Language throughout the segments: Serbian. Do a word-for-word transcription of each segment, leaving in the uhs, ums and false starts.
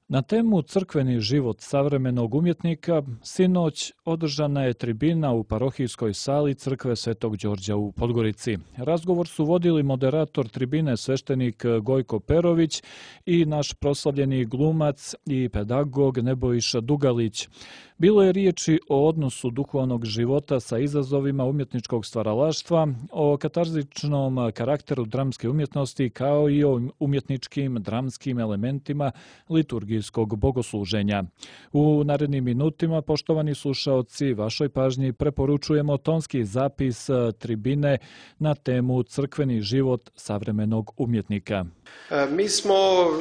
Na temu crkveni život savremenog umjetnika sinoć održana je tribina u parohijskoj sali crkve Svetog Đorđa u Podgorici. Razgovor su vodili moderator tribine sveštenik Gojko Perović i naš proslavljeni glumac i pedagog Nebojša Dugalić. Bilo je riječi o odnosu duhovnog života sa izazovima umjetničkog stvaralaštva, o katarzičnom karakteru dramske umjetnosti kao i o umjetničkim dramskim elementima liturgijskog bogosluženja. U narednim minutima, poštovani slušaoci, vašoj pažnji preporučujemo tonski zapis tribine na temu crkveni život savremenog umjetnika. Mi smo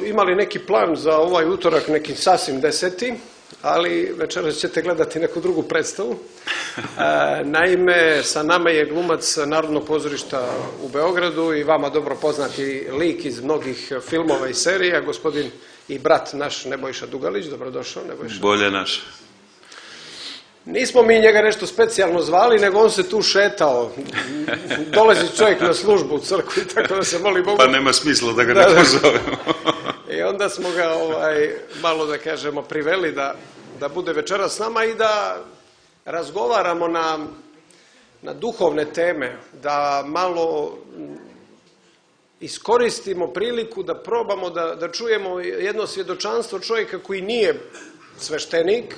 imali neki plan za ovaj utorak, neki sasvim deseti, ali večeras ćete gledati neku drugu predstavu. Naime, sa nama je glumac Narodnog pozorišta u Beogradu i vama dobro poznati lik iz mnogih filmova i serija, gospodin i brat naš Nebojša Dugalić. Dobrodošao, Nebojša. Bolje naš. Nismo mi njega nešto specijalno zvali, nego on se tu šetao. Dolazi čovjek na službu u crkvu i tako da se moli Bogu. Pa nema smisla da ga neko zovemo. I onda smo ga ovaj, malo, da kažemo, priveli da, da bude večeras s nama i da razgovaramo na, na duhovne teme, da malo iskoristimo priliku da probamo da, da čujemo jedno svjedočanstvo čovjeka koji nije sveštenik,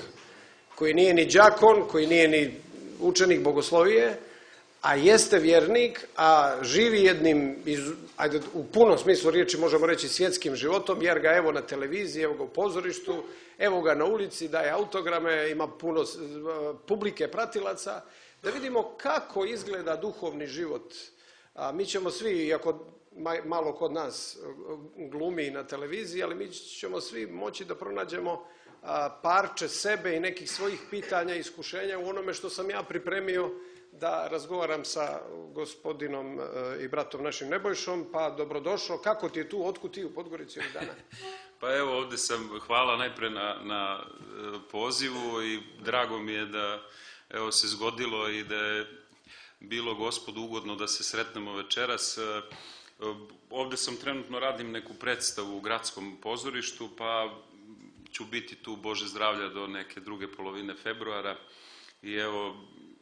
koji nije ni đakon, koji nije ni učenik bogoslovije, a jeste vjernik, a živi jednim, ajde, u punom smislu riječi možemo reći svjetskim životom, jer ga evo na televiziji, evo ga u pozorištu, evo ga na ulici, daje autograme, ima puno publike pratilaca, da vidimo kako izgleda duhovni život. A mi ćemo svi, iako malo kod nas glumi na televiziji, ali mi ćemo svi moći da pronađemo parče sebe i nekih svojih pitanja i iskušenja u onome što sam ja pripremio da razgovaram sa gospodinom i bratom našim Nebojšom. Pa dobrodošao. Kako ti je tu? Otkud ti u Podgorici ovih dana? Pa evo, ovdje sam. Hvala najpre na, na pozivu i drago mi je da evo se zgodilo i da je bilo Gospodu ugodno da se sretnemo večeras. Ovdje sam trenutno, radim neku predstavu u gradskom pozorištu, pa ću biti tu, Bože zdravlja, do neke druge polovine februara. I evo,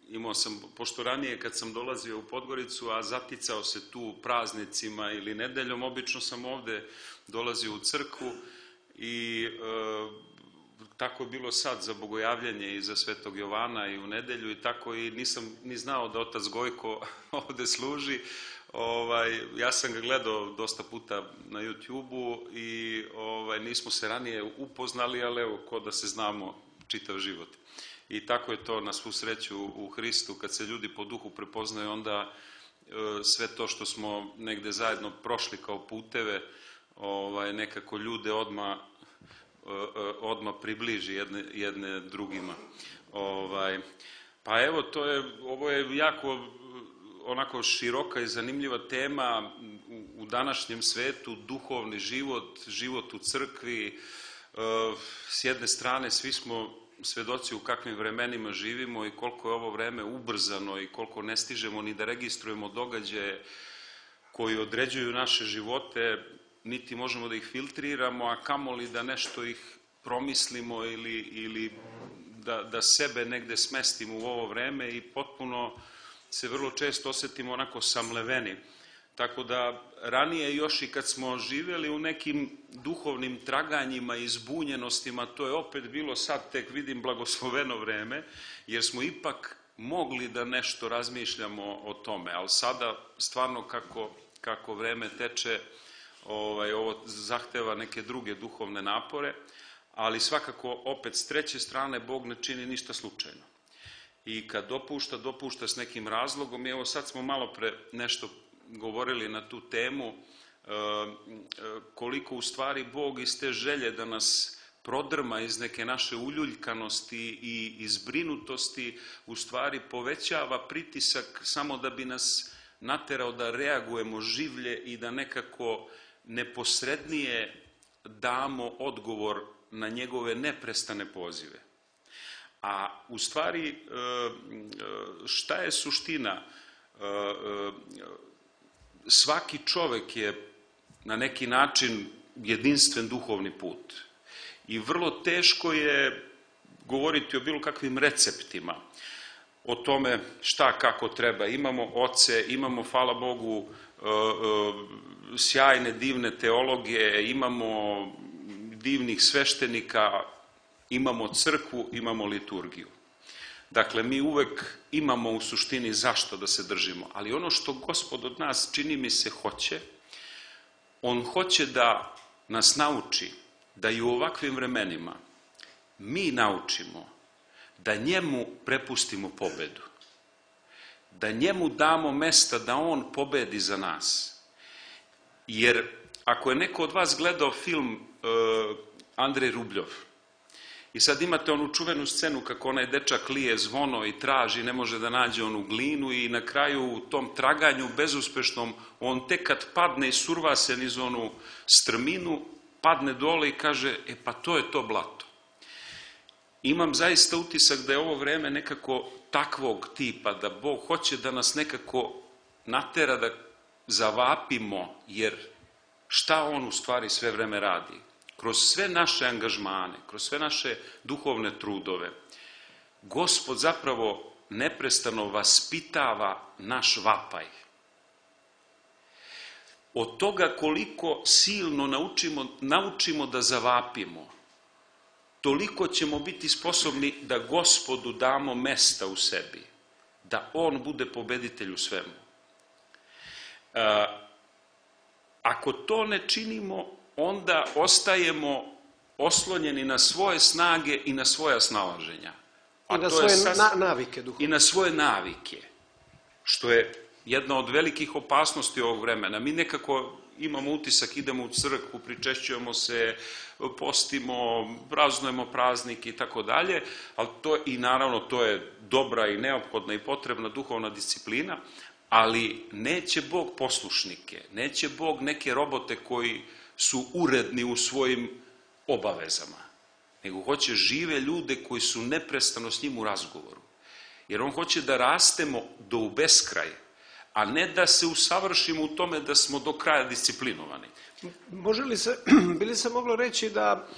imao sam, pošto ranije kad sam dolazio u Podgoricu, a zaticao se tu praznicima ili nedeljom, obično sam ovdje dolazio u crkvu i e, tako je bilo sad za bogojavljanje i za Svetog Jovana i u nedelju i tako, i nisam ni znao da otac Gojko ovdje služi. Ovaj, ja sam ga gledao dosta puta na YouTubeu i ovaj, nismo se ranije upoznali, ali evo, ko da se znamo čitav život. I tako je to na svu sreću u Hristu, kad se ljudi po duhu prepoznaju, onda e, sve to što smo negde zajedno prošli kao puteve, ovaj, nekako ljude odmah e, odmah približi jedne, jedne drugima. Ovaj, pa evo, to je, ovo je jako onako široka i zanimljiva tema u, u današnjem svetu, duhovni život, život u crkvi. E, s jedne strane svi smo svedoci u kakvim vremenima živimo i koliko je ovo vreme ubrzano i koliko ne stižemo ni da registrujemo događaje koji određuju naše živote, niti možemo da ih filtriramo, a kamoli da nešto ih promislimo ili, ili da, da sebe negde smestimo u ovo vreme, i potpuno se vrlo često osjetimo onako samleveni. Tako da ranije još i kad smo živjeli u nekim duhovnim traganjima i zbunjenostima, to je opet bilo sad tek vidim blagosloveno vreme, jer smo ipak mogli da nešto razmišljamo o tome, ali sada stvarno kako, kako vreme teče, ovaj, ovo zahteva neke druge duhovne napore, ali svakako opet s treće strane Bog ne čini ništa slučajno. I kad dopušta, dopušta s nekim razlogom. I evo sad smo malo pre nešto govorili na tu temu, koliko u stvari Bog iz te želje da nas prodrma iz neke naše uljuljkanosti i izbrinutosti u stvari povećava pritisak samo da bi nas naterao da reagujemo življe i da nekako neposrednije damo odgovor na njegove neprestane pozive. A u stvari, šta je suština? Svaki čovjek je na neki način jedinstven duhovni put. I vrlo teško je govoriti o bilo kakvim receptima, o tome šta kako treba. Imamo oce, imamo, hvala Bogu, sjajne, divne teologe, imamo divnih sveštenika, imamo crkvu, imamo liturgiju. Dakle, mi uvek imamo u suštini zašto da se držimo, ali ono što Gospod od nas, čini mi se, hoće, on hoće da nas nauči da i u ovakvim vremenima mi naučimo da njemu prepustimo pobedu, da njemu damo mesta da on pobedi za nas. Jer ako je neko od vas gledao film uh, Andrej Rubljov, i sad imate onu čuvenu scenu kako onaj dečak lije zvono i traži, ne može da nađe onu glinu i na kraju u tom traganju bezuspešnom on tek kad padne i surva se niz onu strminu, padne dole i kaže, e pa to je to blato. Imam zaista utisak da je ovo vreme nekako takvog tipa, da Bog hoće da nas nekako natera da zavapimo, jer šta on u stvari sve vreme radi? Kroz sve naše angažmane, kroz sve naše duhovne trudove, Gospod zapravo neprestano vaspitava naš vapaj. Od toga koliko silno naučimo, naučimo da zavapimo, toliko ćemo biti sposobni da Gospodu damo mesta u sebi, da on bude pobeditelj u svemu. E, ako to ne činimo, onda ostajemo oslonjeni na svoje snage i na svoja snalaženja. I na svoje sas... na, navike duhovne. I na svoje navike, što je jedna od velikih opasnosti ovog vremena. Mi nekako imamo utisak, idemo u crkvu, pričešćujemo se, postimo, praznujemo praznik i tako dalje, ali to i naravno to je dobra i neophodna i potrebna duhovna disciplina, ali neće Bog poslušnike, neće Bog neke robote koji su uredni u svojim obavezama, nego hoće žive ljude koji su neprestano s njim u razgovoru. Jer on hoće da rastemo do u beskraj, a ne da se usavršimo u tome da smo do kraja disciplinovani. Može li se, bi li se moglo reći da,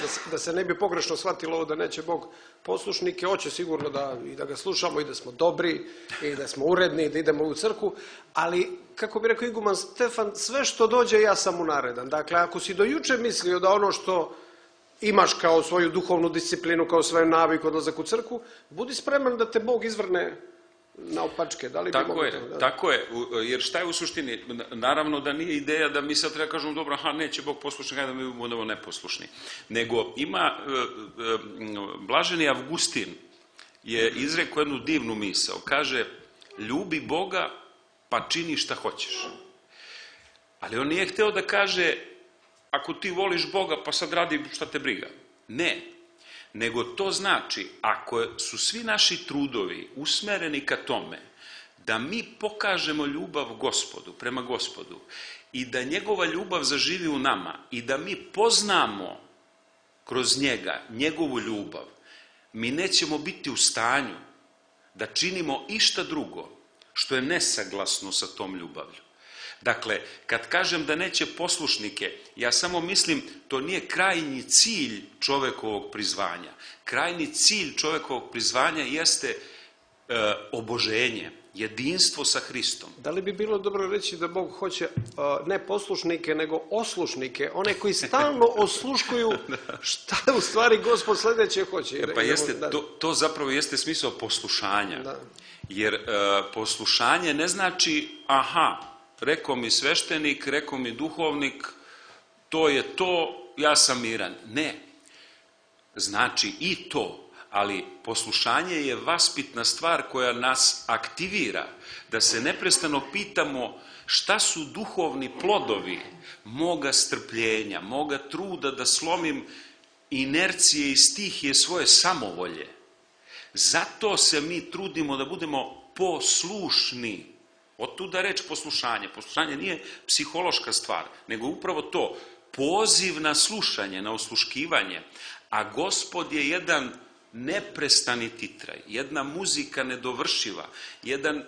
da, se, da se ne bi pogrešno shvatilo ovo da neće Bog poslušnike, hoće sigurno da, i da ga slušamo i da smo dobri i da smo uredni i da idemo u crkvu, ali, kako bi rekao iguman Stefan, sve što dođe ja sam mu naredan. Dakle, ako si do juče mislio da ono što imaš kao svoju duhovnu disciplinu, kao svoju naviku, odlazak u crkvu, budi spreman da te Bog izvrne na opačke. Da li tako bi je, to, da? tako je, jer šta je u suštini? Naravno da nije ideja da mi sad treba kažemo, dobro, aha, neće Bog poslušni, kada mi budemo neposlušni. Nego ima, blaženi Avgustin je izrekao jednu divnu misao. Kaže, ljubi Boga pa čini šta hoćeš. Ali on nije hteo da kaže, ako ti voliš Boga pa sad radi šta te briga. Ne. Nego to znači, ako su svi naši trudovi usmereni ka tome da mi pokažemo ljubav Gospodu, prema Gospodu, i da njegova ljubav zaživi u nama i da mi poznamo kroz njega njegovu ljubav, mi nećemo biti u stanju da činimo išta drugo što je nesaglasno sa tom ljubavlju. Dakle, kad kažem da neće poslušnike, ja samo mislim, to nije krajnji cilj čovekovog prizvanja. Krajnji cilj čovekovog prizvanja jeste e, oboženje, jedinstvo sa Hristom. Da li bi bilo dobro reći da Bog hoće uh, ne poslušnike, nego oslušnike, one koji stalno osluškuju šta u stvari Gospod sledeće hoće? Jer, pa jeste, da... to, to zapravo jeste smisao poslušanja. Da. Jer uh, poslušanje ne znači, aha, rekao mi sveštenik, rekao mi duhovnik, to je to, ja sam miran. Ne. Znači i to, ali poslušanje je vaspitna stvar koja nas aktivira, da se neprestano pitamo šta su duhovni plodovi moga strpljenja, moga truda da slomim inercije i stihije svoje samovolje. Zato se mi trudimo da budemo poslušni. Otuda reč poslušanje. Poslušanje nije psihološka stvar, nego upravo to, poziv na slušanje, na osluškivanje. A Gospod je jedan neprestani titraj, jedna muzika nedovršiva, jedan,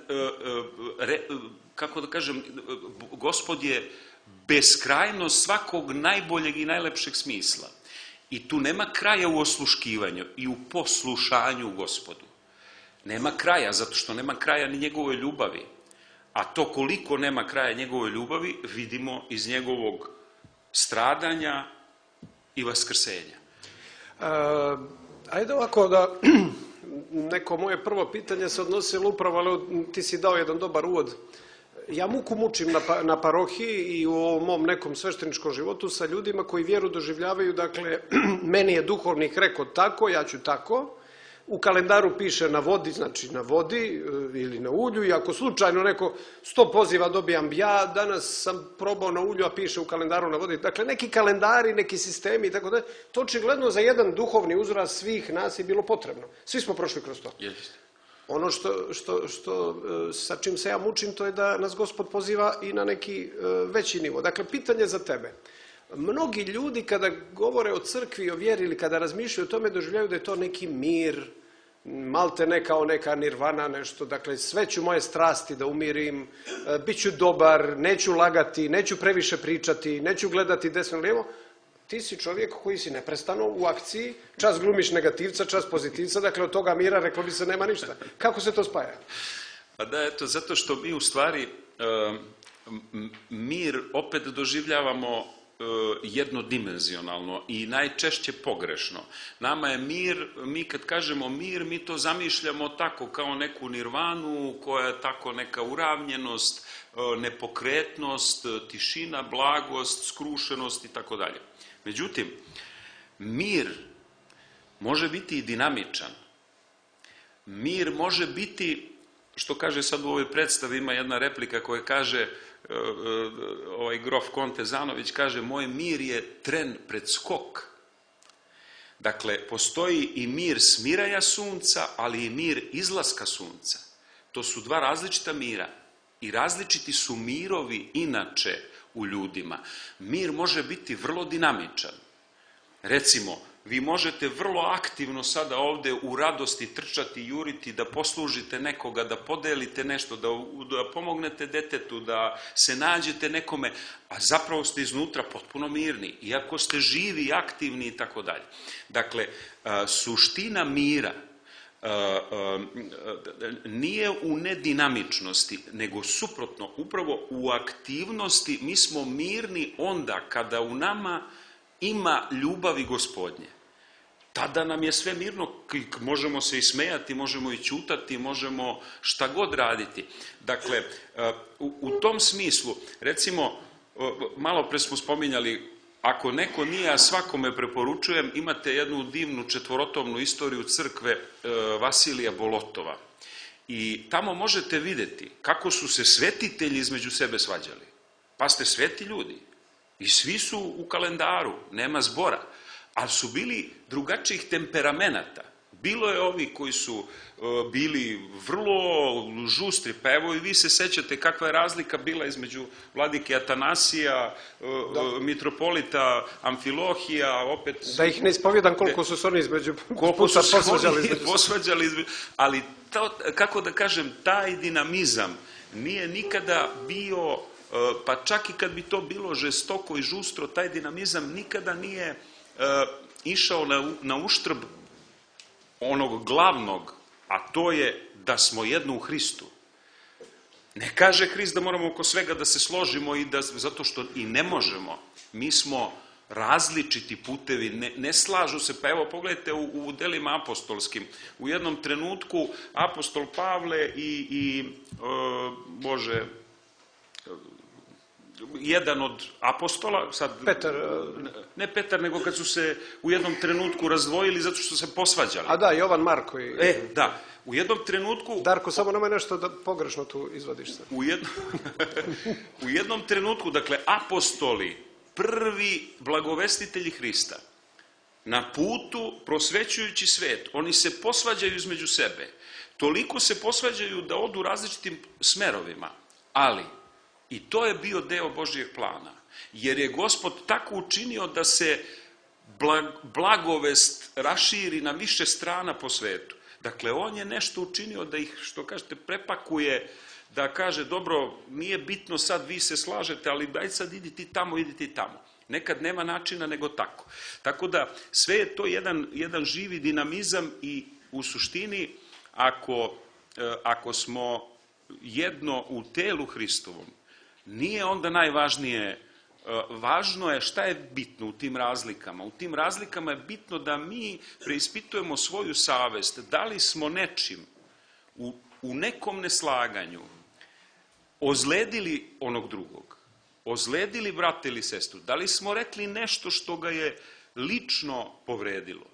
kako da kažem, Gospod je beskrajnost svakog najboljeg i najlepšeg smisla. I tu nema kraja u osluškivanju i u poslušanju Gospodu. Nema kraja, zato što nema kraja ni njegove ljubavi. A to koliko nema kraja njegove ljubavi, vidimo iz njegovog stradanja i vaskrsenja. E, ajde ovako da, neko moje prvo pitanje se odnosilo upravo, ali ti si dao jedan dobar uvod. Ja muku mučim na, pa, na parohiji i u ovom mom nekom svešteničkom životu sa ljudima koji vjeru doživljavaju, dakle, meni je duhovnik rekao tako, ja ću tako. U kalendaru piše na vodi, znači na vodi ili na ulju, i ako slučajno neko sto poziva dobijam ja, danas sam probao na ulju, a piše u kalendaru na vodi. Dakle, neki kalendari, neki sistemi i tako da, to očigledno za jedan duhovni uzrast svih nas je bilo potrebno. Svi smo prošli kroz to. Jeste. Ono što, što, što, sa čim se ja mučim, to je da nas Gospod poziva i na neki veći nivo. Dakle, pitanje za tebe. Mnogi ljudi kada govore o crkvi, o vjeri ili kada razmišljaju o tome, doživljaju da je to neki mir, malte ne kao neka nirvana, nešto, dakle sve ću moje strasti da umirim, bit ću dobar, neću lagati, neću previše pričati, neću gledati desno lijevo. Ti si čovjek koji si neprestano u akciji, čas glumiš negativca, čas pozitivca, dakle od toga mira, reklo bi se, nema ništa. Kako se to spaja? Pa da, eto, zato što mi u stvari mir opet doživljavamo jednodimenzionalno i najčešće pogrešno. Nama je mir, mi kad kažemo mir, mi to zamišljamo tako kao neku nirvanu, koja je tako neka uravnjenost, nepokretnost, tišina, blagost, skrušenost i tako dalje. Međutim, mir može biti i dinamičan. Mir može biti, što kaže sad u ovoj predstavi, ima jedna replika koja kaže, ovaj grof Konte Zanović kaže, moj mir je tren pred skok. Dakle, postoji i mir smiraja sunca, ali i mir izlaska sunca. To su dva različita mira i različiti su mirovi inače u ljudima. Mir može biti vrlo dinamičan. Recimo, vi možete vrlo aktivno sada ovde u radosti trčati, juriti, da poslužite nekoga, da podelite nešto, da, da pomognete detetu, da se nađete nekome, a zapravo ste iznutra potpuno mirni, iako ste živi, aktivni i tako dalje. Dakle, suština mira nije u nedinamičnosti, nego suprotno, upravo u aktivnosti. Mi smo mirni onda kada u nama ima ljubavi Gospodnje. Tada nam je sve mirno, možemo se i smejati, možemo i ćutati, možemo šta god raditi. Dakle, u, u tom smislu, recimo, malo pre smo spominjali, ako neko nije, a svakome preporučujem, imate jednu divnu četvorotomnu istoriju crkve Vasilija Bolotova. I tamo možete vidjeti kako su se svetitelji između sebe svađali. Pa ste sveti ljudi. I svi su u kalendaru, nema zbora, ali su bili drugačijih temperamenata. Bilo je ovi koji su uh, bili vrlo žustri, pa evo i vi se sećate kakva je razlika bila između vladike Atanasija, uh, mitropolita Amfilohija, opet... Da ih ne ispovjedam koliko su se oni između koliko puta su posvađali oni između. posvađali između... Ali, to, kako da kažem, taj dinamizam nije nikada bio... Pa čak i kad bi to bilo žestoko i žustro, taj dinamizam nikada nije uh, išao na, na uštrb onog glavnog, a to je da smo jedno u Hristu. Ne kaže Hrist da moramo oko svega da se složimo, i da, zato što i ne možemo. Mi smo različiti putevi, ne, ne slažu se. Pa evo, pogledajte u, u delima apostolskim. U jednom trenutku apostol Pavle i, i uh, Bože... jedan od apostola, sad, Petar, ne Petar, nego kad su se u jednom trenutku razdvojili zato što se posvađali. A da, Jovan Marko. I... E, da, u jednom trenutku... Darko, samo nama nešto da pogrešno tu izvadiš se. U jednom, u jednom trenutku, dakle, apostoli, prvi blagovestitelji Hrista, na putu prosvećujući svet, oni se posvađaju između sebe. Toliko se posvađaju da odu različitim smerovima, ali... I to je bio deo Božjeg plana, jer je Gospod tako učinio da se blagovest raširi na više strana po svetu. Dakle, on je nešto učinio da ih, što kažete, prepakuje, da kaže, dobro, nije bitno sad, vi se slažete, ali daj sad idi ti tamo, idi ti tamo. Nekad nema načina nego tako. Tako da sve je to jedan, jedan živi dinamizam i u suštini ako, ako smo jedno u telu Hristovom, nije onda najvažnije, važno je šta je bitno u tim razlikama. U tim razlikama je bitno da mi preispitujemo svoju savest, da li smo nečim u, u nekom neslaganju ozledili onog drugog, ozledili brata ili sestru, da li smo rekli nešto što ga je lično povredilo.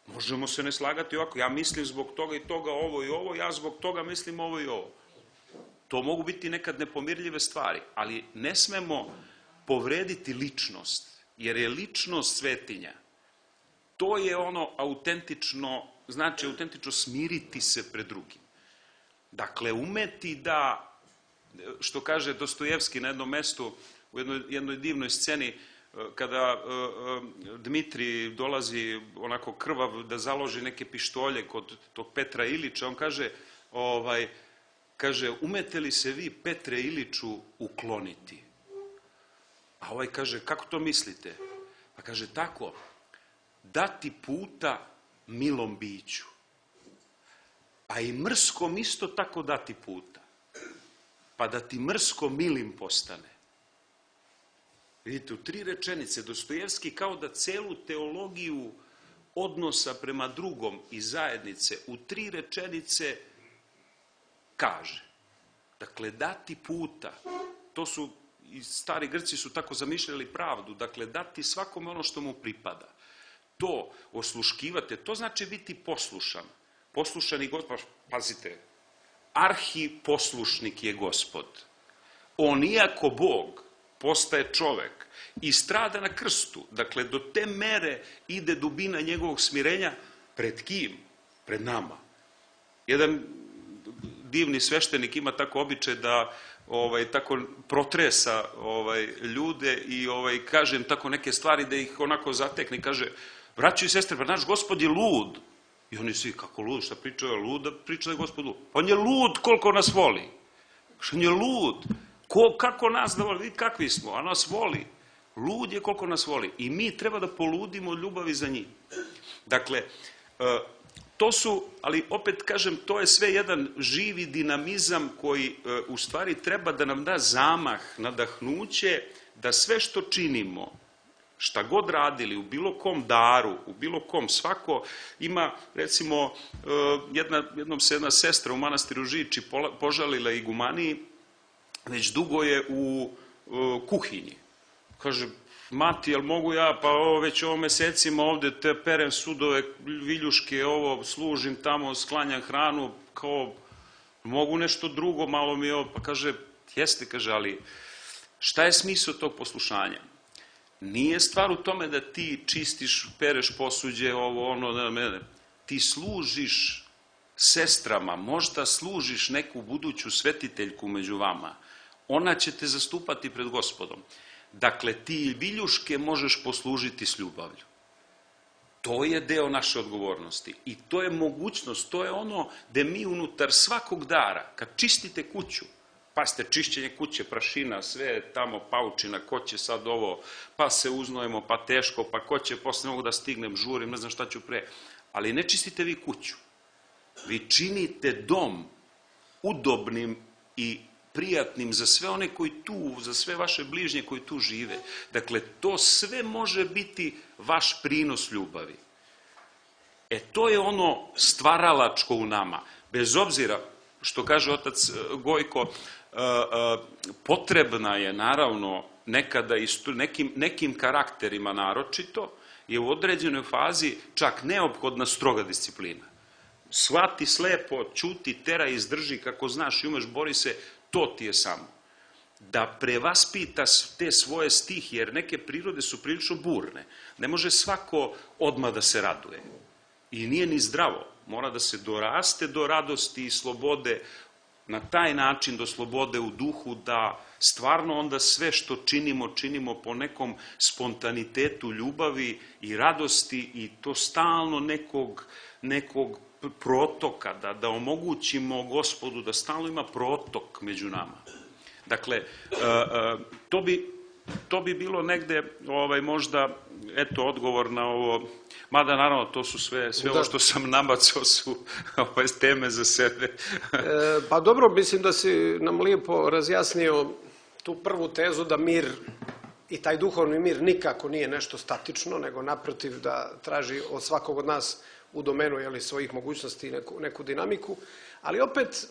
Možemo se ne slagati ovako, ja mislim zbog toga i toga ovo i ovo, ja zbog toga mislim ovo i ovo. To mogu biti nekad nepomirljive stvari, ali ne smemo povrediti ličnost, jer je ličnost svetinja. To je ono autentično, znači autentično smiriti se pred drugim. Dakle, umeti da, što kaže Dostojevski na jednom mestu, u jednoj, jednoj divnoj sceni, kada uh, Dmitrij dolazi onako krvav da založi neke pištolje kod tog Petra Ilića, on kaže, ovaj, kaže, umete li se vi Petre Iliću ukloniti? A ovaj kaže, kako to mislite? Pa kaže, tako, dati puta milom biću, a i mrskom isto tako dati puta, pa da ti mrsko milim postane. Vidite, u tri rečenice Dostojevski kao da celu teologiju odnosa prema drugom i zajednice u tri rečenice kaže. Dakle, dati puta, to su, i stari Grci su tako zamišljali pravdu, dakle, dati svakome ono što mu pripada. To, osluškivate, to znači biti poslušan. Poslušani Gospod, pazite, arhiposlušnik je Gospod. On, iako Bog, postaje čovek i strada na krstu. Dakle, do te mere ide dubina njegovog smirenja. Pred kim? Pred nama. Jedan divni sveštenik ima tako običaj da ovaj, tako protresa ovaj, ljude i ovaj, kaže im tako neke stvari da ih onako zatekne. Kaže, braćo i sestre, pa naš Gospod je lud. I oni svi, kako lud, šta priča je lud, da priča da je Gospod lud. Pa on je lud koliko nas voli. On je lud. Ko, kako nas da voli, vidi kakvi smo, a nas voli. Lud je koliko nas voli. I mi treba da poludimo od ljubavi za njih. Dakle, to su, ali opet kažem, to je sve jedan živi dinamizam koji u stvari treba da nam da zamah, nadahnuće, da sve što činimo, šta god radili, u bilo kom daru, u bilo kom, svako ima, recimo, jedna, jednom se jedna sestra u manastiru Žiči požalila igumaniji, već dugo je u uh, kuhinji. Kaže, mati, jel mogu ja, pa ovo, već ovo mesecima ovde te perem sudove, viljuške, ovo, služim tamo, sklanjam hranu, kao, mogu nešto drugo, malo mi je ovo, pa kaže, jeste, kaže, ali šta je smisao tog poslušanja? Nije stvar u tome da ti čistiš, pereš posuđe, ovo, ono, ne, ne, ne. Ti služiš sestrama, možda služiš neku buduću svetiteljku među vama, ona će te zastupati pred Gospodom. Dakle, ti viljuške možeš poslužiti s ljubavlju. To je deo naše odgovornosti i to je mogućnost, to je ono gde mi unutar svakog dara, kad čistite kuću, pazite, čišćenje kuće, prašina, sve tamo paučina, ko će sad ovo, pa se uznojemo, pa teško, pa ko će, posle mogu da stignem, žurim, ne znam šta ću pre, ali ne čistite vi kuću. Vi činite dom udobnim i prijatnim za sve one koji tu, za sve vaše bližnje koji tu žive. Dakle, to sve može biti vaš prinos ljubavi. E, to je ono stvaralačko u nama. Bez obzira, što kaže otac Gojko, potrebna je, naravno, nekada i nekim, nekim karakterima naročito, je u određenoj fazi čak neophodna stroga disciplina. Shvati slepo, ćuti, tera, izdrži, kako znaš i umeš, bori se, to ti je samo. Da prevaspita te svoje stihije, jer neke prirode su prilično burne. Ne može svako odmah da se raduje. I nije ni zdravo. Mora da se doraste do radosti i slobode, na taj način do slobode u duhu, da stvarno onda sve što činimo, činimo po nekom spontanitetu ljubavi i radosti i to stalno nekog, nekog protoka, da, da omogućimo Gospodu da stalno ima protok među nama. Dakle, to bi, to bi bilo negde ovaj, možda, eto, odgovor na ovo, mada naravno to su sve, sve ovo što sam nabacao su ove teme za sebe. E, pa dobro, mislim da si nam lijepo razjasnio tu prvu tezu da mir i taj duhovni mir nikako nije nešto statično, nego naprotiv da traži od svakog od nas u domenu jeli, svojih mogućnosti neku, neku dinamiku, ali opet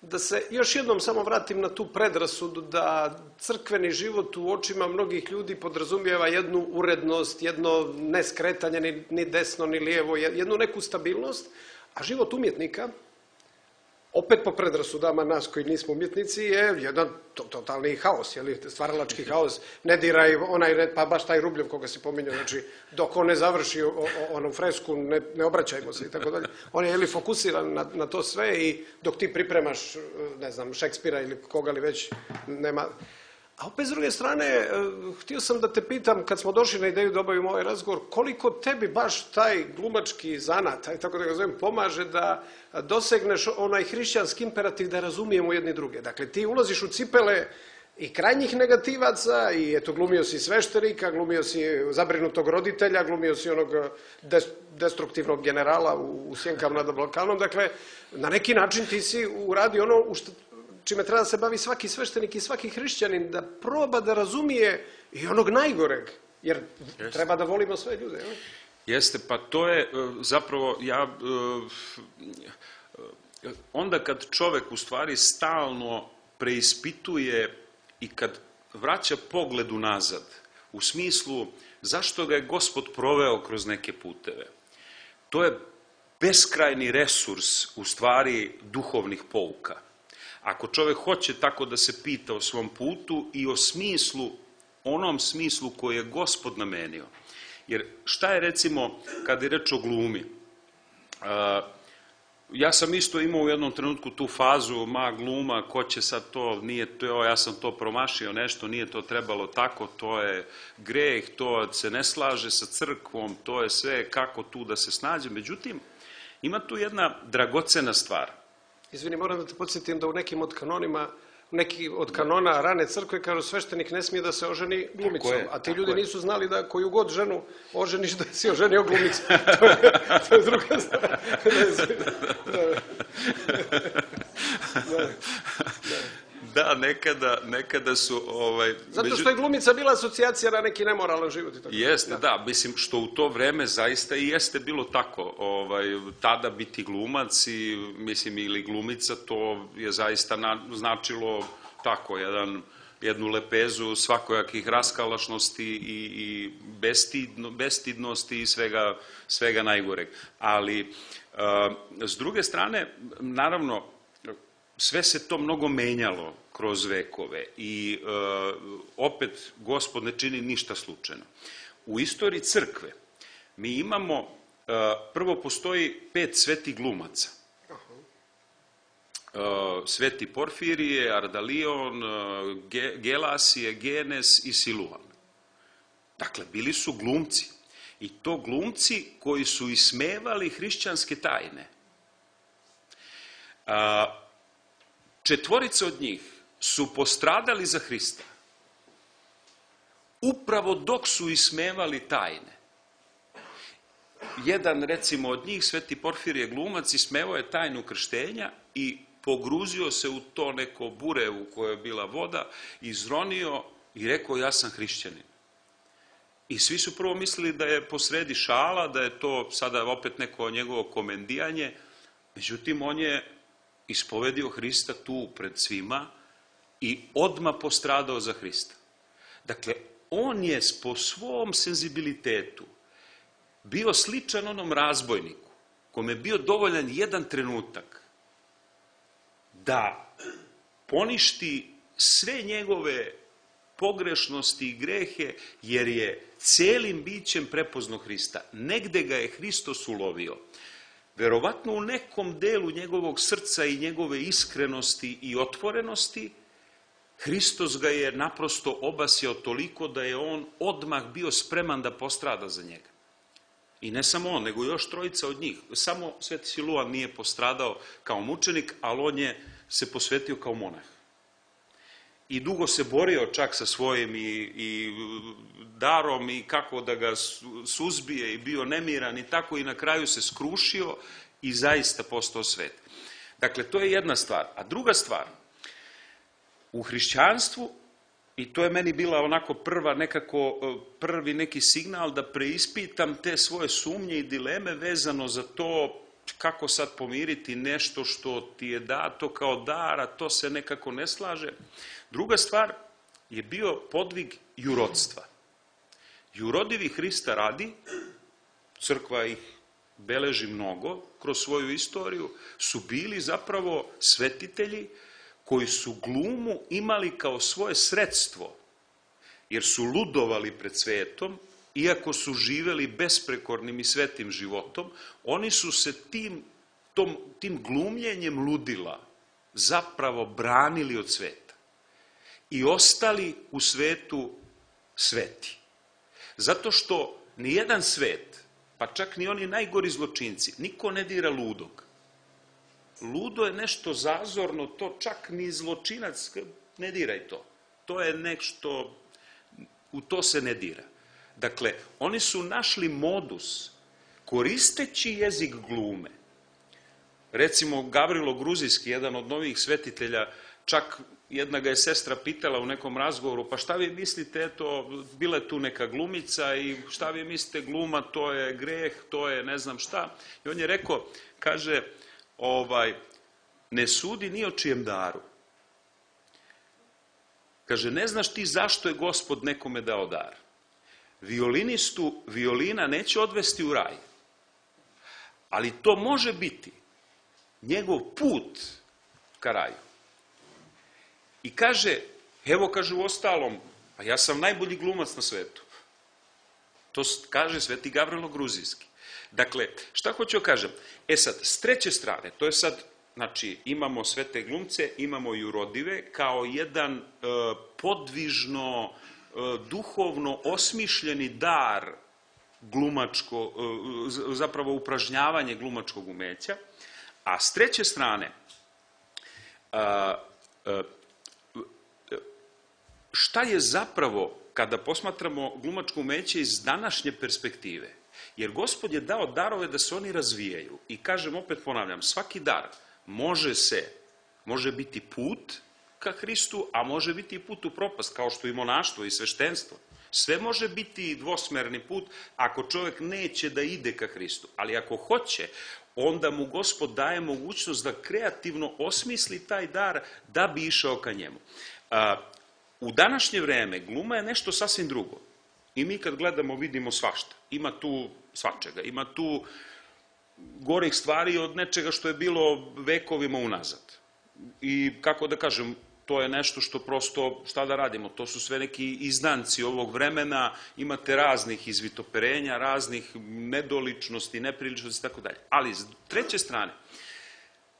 da se još jednom samo vratim na tu predrasudu da crkveni život u očima mnogih ljudi podrazumijeva jednu urednost, jedno neskretanje ni, ni desno ni lijevo, jednu neku stabilnost, a život umjetnika, opet po predrasudama nas koji nismo umjetnici, je jedan totalni haos, jeli, stvaralački haos. Ne diraj onaj, pa baš taj Rubljev koga si pominjao, znači dok on ne završi o, o, onu fresku, ne, ne obraćajmo se i tako dalje. On je jeli, fokusiran na, na to sve i dok ti pripremaš, ne znam, Šekspira ili koga li već, nema... A opet s druge strane, htio sam da te pitam, kad smo došli na ideju da obavimo ovaj razgovor, koliko tebi baš taj glumački zanat, taj, tako da ga zovem, pomaže da dosegneš onaj hrišćanski imperativ da razumijemo jedni druge. Dakle, ti ulaziš u cipele i krajnjih negativaca i eto, glumio si sveštenika, glumio si zabrinutog roditelja, glumio si onog destruktivnog generala u, u Sjenkama nad Balkanom. Dakle, na neki način ti si uradio ono u što čime treba da se bavi svaki sveštenik i svaki hrišćanin, da proba da razumije i onog najgoreg, jer Jeste. treba da volimo sve ljude. Ne? Jeste, pa to je zapravo, ja, onda kad čovek u stvari stalno preispituje i kad vraća pogled unazad, u smislu zašto ga je Gospod proveo kroz neke puteve, to je beskrajni resurs u stvari duhovnih pouka. Ako čovek hoće tako da se pita o svom putu i o smislu, onom smislu koji je Gospod namenio. Jer šta je recimo, kada je reč o glumi? Ja sam isto imao u jednom trenutku tu fazu, ma gluma, ko će sad to, nije to, ja sam to promašio nešto, nije to trebalo tako, to je greh, to se ne slaže sa crkvom, to je sve kako tu da se snađe. Međutim, ima tu jedna dragocena stvar. Izvini, moram da te podsjetim da u nekim od kanonima, neki od kanona rane crkve kažu sveštenik ne smije da se oženi glumicom, je, a ti ljudi je. nisu znali da koju god ženu oženiš da si oženio glumicom. To je, to je druga stvar. Da, da nekada, nekada su... Ovaj, Zato što je glumica bila asocijacija na neki nemoralan život. I tako. Jeste, da. da, mislim što u to vreme zaista i jeste bilo tako. Ovaj, tada biti glumac i, mislim, ili glumica, to je zaista na, značilo tako, jedan, jednu lepezu svakojakih raskalašnosti i, i bestidno, bestidnosti i svega, svega najgoreg. Ali, a, s druge strane, naravno, sve se to mnogo menjalo kroz vekove i e, opet Gospod ne čini ništa slučajno. U istoriji crkve mi imamo, e, prvo postoji pet svetih glumaca. E, sveti Porfirije, Ardalion, Ge, Gelasije, Genes i Siluan. Dakle, bili su glumci. I to glumci koji su ismevali hrišćanske tajne. A, Četvorica od njih su postradali za Hrista, upravo dok su ismevali tajne. Jedan, recimo, od njih, sveti Porfirije glumac, ismevao je tajnu krštenja i pogruzio se u to neko bure u kojoj je bila voda, izronio i rekao ja sam hrišćanin. I svi su prvo mislili da je posredi šala, da je to sada opet neko njegovo komendijanje, međutim on je ispovedio Hrista tu pred svima i odmah postradao za Hrista. Dakle, on je po svom senzibilitetu bio sličan onom razbojniku, kome je bio dovoljan jedan trenutak da poništi sve njegove pogrešnosti i grehe, jer je celim bićem prepoznao Hrista. Negde ga je Hristos ulovio. Verovatno u nekom delu njegovog srca i njegove iskrenosti i otvorenosti, Hristos ga je naprosto obasjao toliko da je on odmah bio spreman da postrada za njega. I ne samo on, nego još trojica od njih. Samo Sveti Siluan nije postradao kao mučenik, ali on je se posvetio kao monah. I dugo se borio čak sa svojim i, i darom i kako da ga suzbije i bio nemiran i tako i na kraju se skrušio i zaista postao svet. Dakle, to je jedna stvar. A druga stvar, u hrišćanstvu, i to je meni bila onako prva nekako, prvi neki signal da preispitam te svoje sumnje i dileme vezano za to kako sad pomiriti nešto što ti je dato kao dar, a to se nekako ne slaže. Druga stvar je bio podvig jurodstva. Jurodivi Hrista radi, crkva ih beleži mnogo kroz svoju istoriju, su bili zapravo svetitelji koji su glumu imali kao svoje sredstvo, jer su ludovali pred svetom, iako su živeli besprekornim i svetim životom, oni su se tim, tom, tim glumljenjem ludila zapravo branili od sveta i ostali u svetu sveti. Zato što nijedan svet, pa čak ni oni najgori zločinci, niko ne dira ludog. Ludo je nešto zazorno, to čak ni zločinac, ne diraj to. To je nešto, u to se ne dira. Dakle, oni su našli modus, koristeći jezik glume. Recimo, Gavrilo Gruzijski, jedan od novih svetitelja, čak jedna ga je sestra pitala u nekom razgovoru, pa šta vi mislite, eto, bila je tu neka glumica i šta vi mislite, gluma, to je greh, to je ne znam šta. I on je rekao, kaže, ovaj, ne sudi ni o čijem daru. Kaže, ne znaš ti zašto je Gospod nekome dao dar. Violinistu violina neće odvesti u raj, ali to može biti njegov put ka raju. I kaže, evo kaže u ostalom, pa ja sam najbolji glumac na svetu. To kaže Sveti Gavrilo Gruzijski. Dakle, šta hoću da kažem? E sad, s treće strane, to je sad, znači, imamo svete glumce, imamo jurodive, kao jedan e, podvižno, e, duhovno osmišljeni dar glumačko, e, zapravo upražnjavanje glumačkog umeća, a s treće strane, a, a, šta je zapravo, kada posmatramo glumačko umeće iz današnje perspektive? Jer Gospod je dao darove da se oni razvijaju. I kažem, opet ponavljam, svaki dar može se, može biti put ka Hristu, a može biti i put u propast, kao što i monaštvo i sveštenstvo. Sve može biti dvosmerni put ako čovjek neće da ide ka Hristu. Ali ako hoće, onda mu Gospod daje mogućnost da kreativno osmisli taj dar da bi išao ka njemu. A, u današnje vreme gluma je nešto sasvim drugo. I mi kad gledamo vidimo svašta. Ima tu svačega, ima tu gorih stvari od nečega što je bilo vekovima unazad. I kako da kažem, to je nešto što prosto, šta da radimo, to su sve neki izdanci ovog vremena, imate raznih izvitoperenja, raznih nedoličnosti, nepriličnosti i tako dalje. Ali, s treće strane,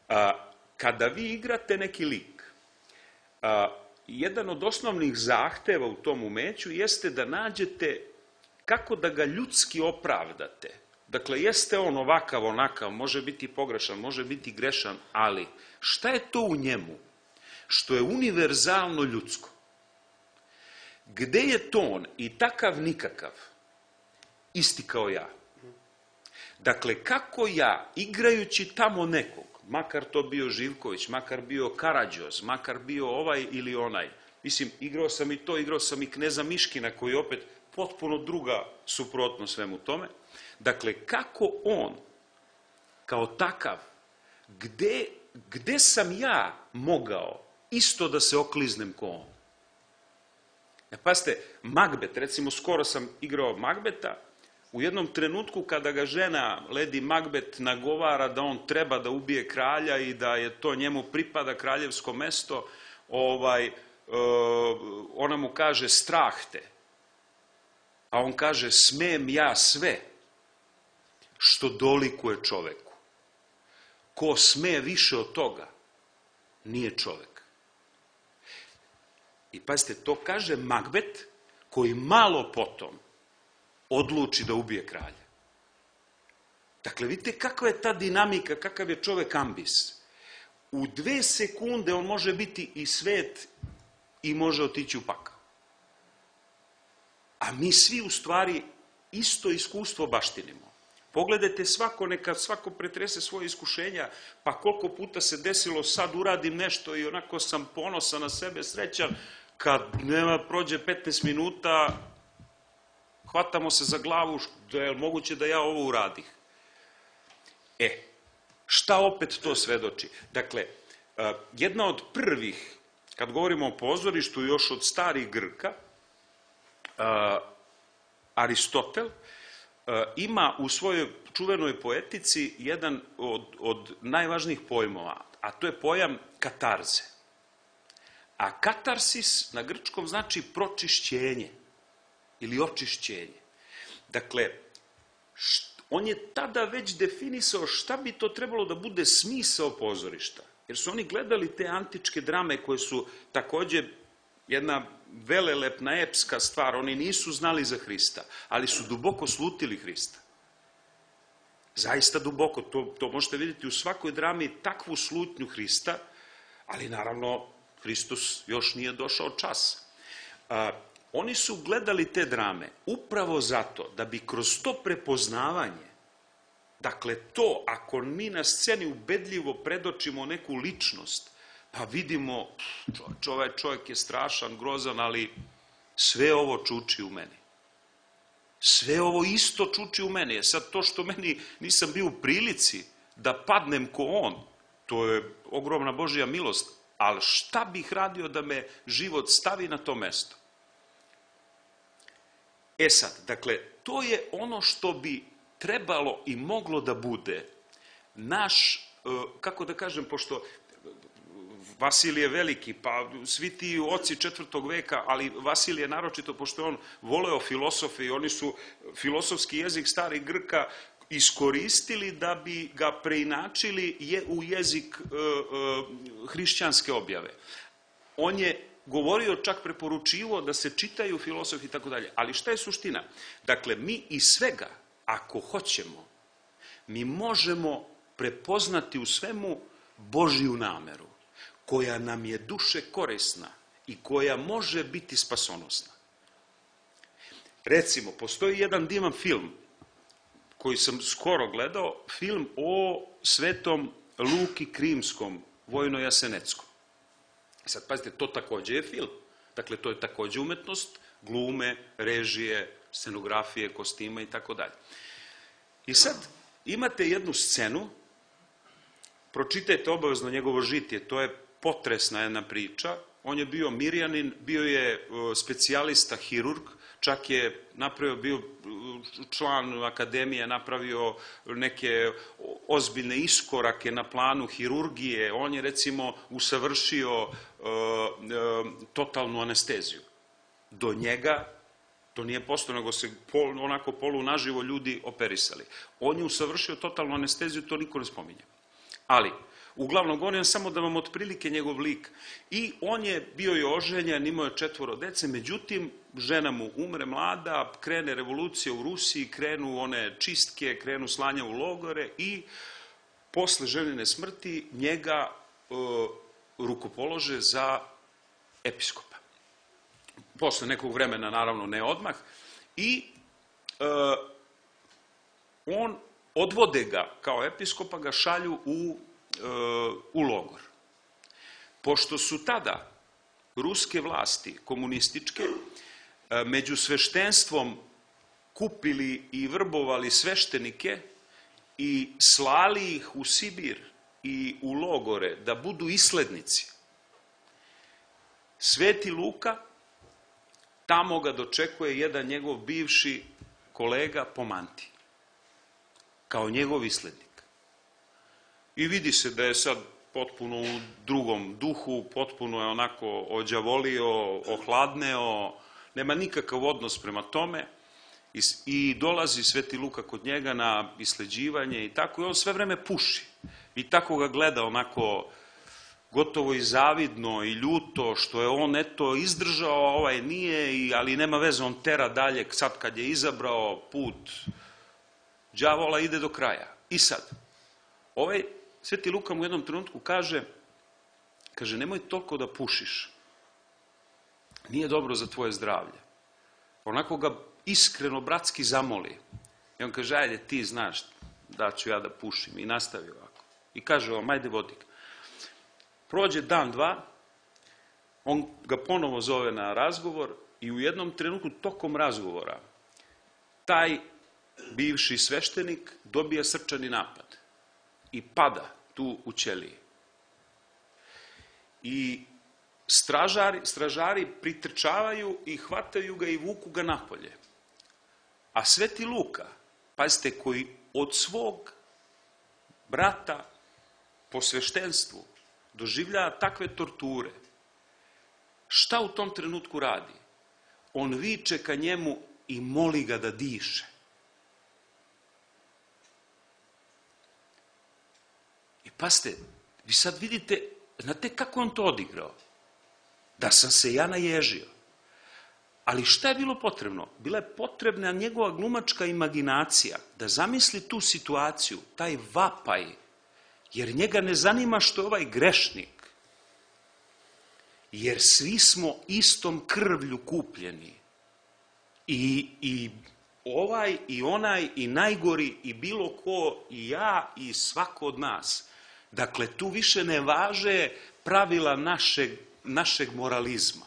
a, kada vi igrate neki lik, a, jedan od osnovnih zahteva u tom umeću jeste da nađete kako da ga ljudski opravdate. Dakle, jeste on ovakav, onakav, može biti pogrešan, može biti grešan, ali šta je to u njemu što je univerzalno ljudsko? Gde je ton i takav nikakav, isti kao ja? Dakle, kako ja, igrajući tamo nekog, makar to bio Živković, makar bio Karađoz, makar bio ovaj ili onaj, mislim, igrao sam i to, igrao sam i kneza Miškina, koji je opet potpuno druga suprotno svemu tome. Dakle, kako on, kao takav, gde, gde sam ja mogao isto da se okliznem ko on? E, pazite, Magbet, recimo, skoro sam igrao Magbeta, u jednom trenutku kada ga žena Lady Magbet nagovara da on treba da ubije kralja i da je to njemu pripada kraljevsko mesto, ovaj, ona mu kaže strah te, a on kaže smem ja sve što dolikuje čoveku. Ko sme više od toga, nije čovek. I pazite, to kaže Magbet koji malo potom odluči da ubije kralja. Dakle, vidite kakva je ta dinamika, kakav je čovek ambis. U dve sekunde on može biti i svet i može otići u pakao. A mi svi u stvari isto iskustvo baštinimo. Pogledajte svako, neka svako pretrese svoje iskušenja, pa koliko puta se desilo sad uradim nešto i onako sam ponosan na sebe, srećan, kad nema prođe petnaest minuta, hvatamo se za glavu, da je moguće da ja ovo uradih. E, šta opet to svedoči? Dakle, jedna od prvih, kad govorimo o pozorištu, još od starih Grka, Aristotel ima u svojoj čuvenoj poetici jedan od, od najvažnijih pojmova, a to je pojam katarze. A katarsis na grčkom znači pročišćenje ili očišćenje. Dakle, on je tada već definisao šta bi to trebalo da bude smisao pozorišta. Jer su oni gledali te antičke drame koje su takođe jedna velelepna epska stvar. Oni nisu znali za Hrista, ali su duboko slutili Hrista. Zaista duboko. To, to možete vidjeti u svakoj drami, takvu slutnju Hrista, ali naravno Hristos još nije došao čas. A, oni su gledali te drame upravo zato da bi kroz to prepoznavanje, dakle to, ako mi na sceni ubedljivo predočimo neku ličnost, pa vidimo, ovaj čovjek je strašan, grozan, ali sve ovo čuči u meni. Sve ovo isto čuči u meni. Je sad to što meni nisam bio u prilici da padnem ko on, to je ogromna Božja milost, ali šta bih radio da me život stavi na to mesto? E sad, dakle, to je ono što bi trebalo i moglo da bude naš, kako da kažem, pošto Vasilije Veliki, pa svi ti oci četvrtog veka, ali Vasilije naročito, pošto je on voleo filosofe i oni su filosofski jezik starih Grka iskoristili da bi ga preinačili u jezik hrišćanske objave. On je govorio, čak preporučivo da se čitaju filosofi i tako dalje. Ali šta je suština? Dakle, mi iz svega, ako hoćemo, mi možemo prepoznati u svemu Božju nameru, koja nam je duše korisna i koja može biti spasonosna. Recimo, postoji jedan divan film koji sam skoro gledao, film o svetom Luki Krimskom, Vojno-Jaseneckom. Sad, pazite, to takođe je film. Dakle, to je takođe umetnost, glume, režije, scenografije, kostima i tako dalje. I sad, imate jednu scenu, pročitajte obavezno njegovo žitije, to je potresna jedna priča. On je bio Mirjanin, bio je specijalista hirurg, čak je napravio, bio član akademije, napravio neke ozbiljne iskorake na planu hirurgije. On je, recimo, usavršio totalnu anesteziju. Do njega to nije postao, nego se onako polu naživo ljudi operisali. On je usavršio totalnu anesteziju, to niko ne spominje. Ali, uglavnom, govorim samo da vam otprilike njegov lik. I on je bio i oženjen, imao je četvoro dece, međutim, žena mu umre mlada, krene revolucija u Rusiji, krenu one čistke, krenu slanja u logore i posle ženine smrti njega e, rukopolože za episkopa. Posle nekog vremena, naravno ne odmah, i e, on odvode ga kao episkopa, ga šalju u, e, u logor. Pošto su tada ruske vlasti, komunističke, e, među sveštenstvom kupili i vrbovali sveštenike i slali ih u Sibir i u logore da budu islednici, Sveti Luka, tamo ga dočekuje jedan njegov bivši kolega po mantiji, kao njegov islednik. I vidi se da je sad potpuno u drugom duhu, potpuno je onako ođavolio, ohladneo, nema nikakav odnos prema tome i dolazi Sveti Luka kod njega na isleđivanje i tako, i on sve vreme puši. I tako ga gleda onako gotovo i zavidno i ljuto što je on eto izdržao, a ovaj nije, ali nema veze, on tera dalje, sad kad je izabrao put đavola ide do kraja. I sad, ovaj Sveti Luka mu u jednom trenutku kaže, kaže, nemoj toliko da pušiš. Nije dobro za tvoje zdravlje. Onako ga iskreno, bratski zamoli. I on kaže, ajde, ti znaš da ću ja da pušim. I nastavi ovako. I kaže ovom, ajde, vodi ga. Prođe dan, dva, on ga ponovo zove na razgovor i u jednom trenutku tokom razgovora taj bivši sveštenik dobija srčani napad i pada tu u ćeliji. I stražari, stražari pritrčavaju i hvataju ga i vuku ga napolje. A Sveti Luka, pazite, koji od svog brata po sveštenstvu doživljava takve torture, šta u tom trenutku radi? On viče ka njemu i moli ga da diše. I pazite, vi sad vidite, znate kako on to odigrao? Da sam se ja naježio. Ali šta je bilo potrebno? Bila je potrebna njegova glumačka imaginacija da zamisli tu situaciju, taj vapaj, jer njega ne zanima što je ovaj grešnik. Jer svi smo istom krvlju kupljeni. I, i ovaj, i onaj, i najgori, i bilo ko, i ja, i svako od nas. Dakle, tu više ne važe pravila našeg, našeg moralizma.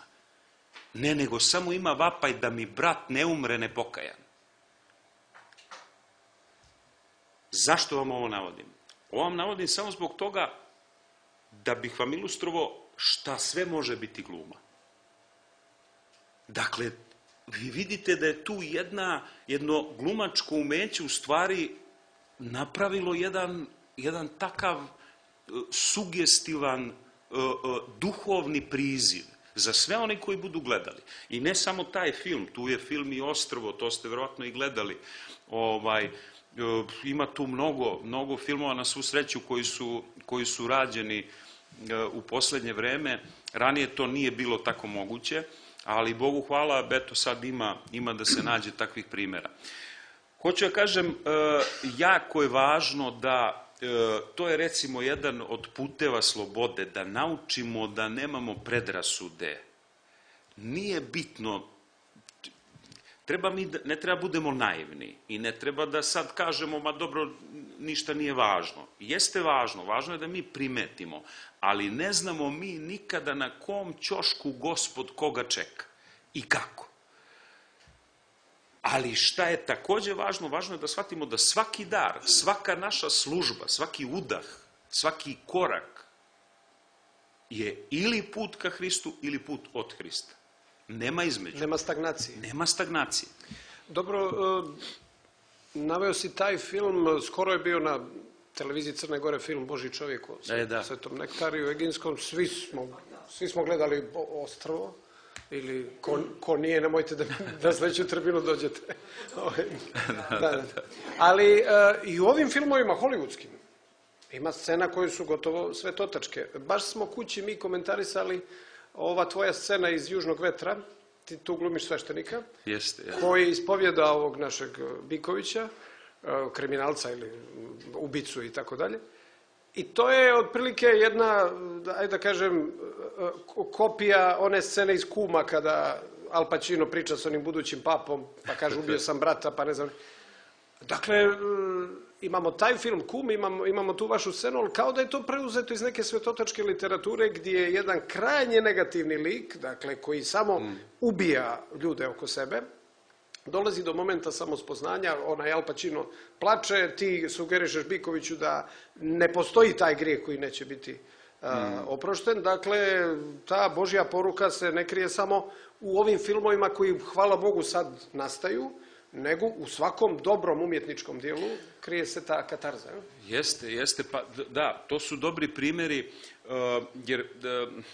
Ne, nego samo ima vapaj da mi brat ne umre nepokajan. Zašto vam ovo navodim? Ovo vam navodim samo zbog toga da bih vam ilustrovao šta sve može biti gluma. Dakle, vi vidite da je tu jedna, jedno glumačko umeće u stvari napravilo jedan, jedan takav uh, sugestivan uh, uh, duhovni priziv za sve oni koji budu gledali. I ne samo taj film, tu je film i Ostrvo, to ste verovatno i gledali. Ovaj, uh, ima tu mnogo, mnogo filmova na svu sreću koji su, koji su rađeni uh, u poslednje vreme. Ranije to nije bilo tako moguće, ali Bogu hvala, eto sad ima, ima da se nađe takvih primjera. Hoću ja kažem, jako je važno da, to je recimo jedan od puteva slobode, da naučimo da nemamo predrasude. Nije bitno, treba mi, ne treba budemo naivni i ne treba da sad kažemo, ma dobro, ništa nije važno. Jeste važno, važno je da mi primetimo, ali ne znamo mi nikada na kom ćošku Gospod koga čeka i kako. Ali šta je takođe važno? Važno je da shvatimo da svaki dar, svaka naša služba, svaki udah, svaki korak je ili put ka Hristu ili put od Hrista. Nema između. Nema stagnacije. Nema stagnacije. Dobro, naveo si taj film, skoro je bio na televiziji Crne Gore film Božji čovjek o E, da. Svetom Nektariju Eginskom, svi smo, svi smo gledali Ostrvo, ili ko, ko nije, nemojte da na sledeću tribinu dođete. da, da, da. Ali uh, i u ovim filmovima hollywoodskim ima scena koje su gotovo svetotačke. Baš smo kući mi komentarisali ova tvoja scena iz Južnog vetra, ti tu glumiš sveštenika, Jeste, jeste. koji ispovjeda ovog našeg Bikovića, kriminalca ili ubicu i tako dalje. I to je otprilike jedna, ajde da kažem, kopija one scene iz Kuma kada Al Pacino priča s onim budućim papom, pa kaže ubio sam brata, pa ne znam. Dakle, imamo taj film Kum, imamo, imamo tu vašu scenu, ali kao da je to preuzeto iz neke svetotačke literature gdje je jedan krajnje negativni lik, dakle, koji samo mm. ubija ljude oko sebe, dolazi do momenta samospoznanja, onaj Al Pacino plače, ti sugerišeš Bikoviću da ne postoji taj grijeh koji neće biti a, mm. oprošten. Dakle, ta Božja poruka se ne krije samo u ovim filmovima koji, hvala Bogu, sad nastaju, nego u svakom dobrom umjetničkom dijelu krije se ta katarza. Jeste, jeste, pa da, to su dobri primjeri, uh, jer uh,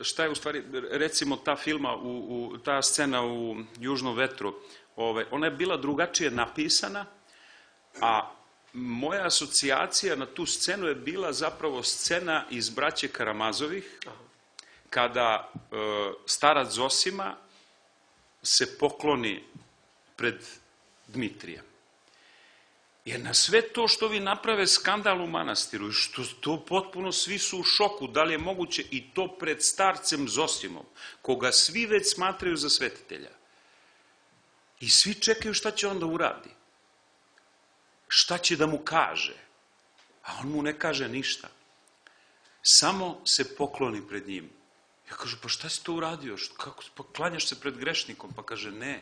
šta je u stvari, recimo ta filma, u, u, ta scena u Južnom vetru, ovaj, ona je bila drugačije napisana, a moja asocijacija na tu scenu je bila zapravo scena iz Braće Karamazovih, kada e, starac Zosima se pokloni pred Dmitrijem. Jer na sve to što vi naprave skandal u manastiru, što to potpuno svi su u šoku, da li je moguće i to pred starcem Zosimom, koga svi već smatraju za svetitelja. I svi čekaju šta će onda uradi. Šta će da mu kaže? A on mu ne kaže ništa. Samo se pokloni pred njim. Ja kažu, pa šta si to uradio? Kako, pa klanjaš se pred grešnikom? Pa kaže, ne.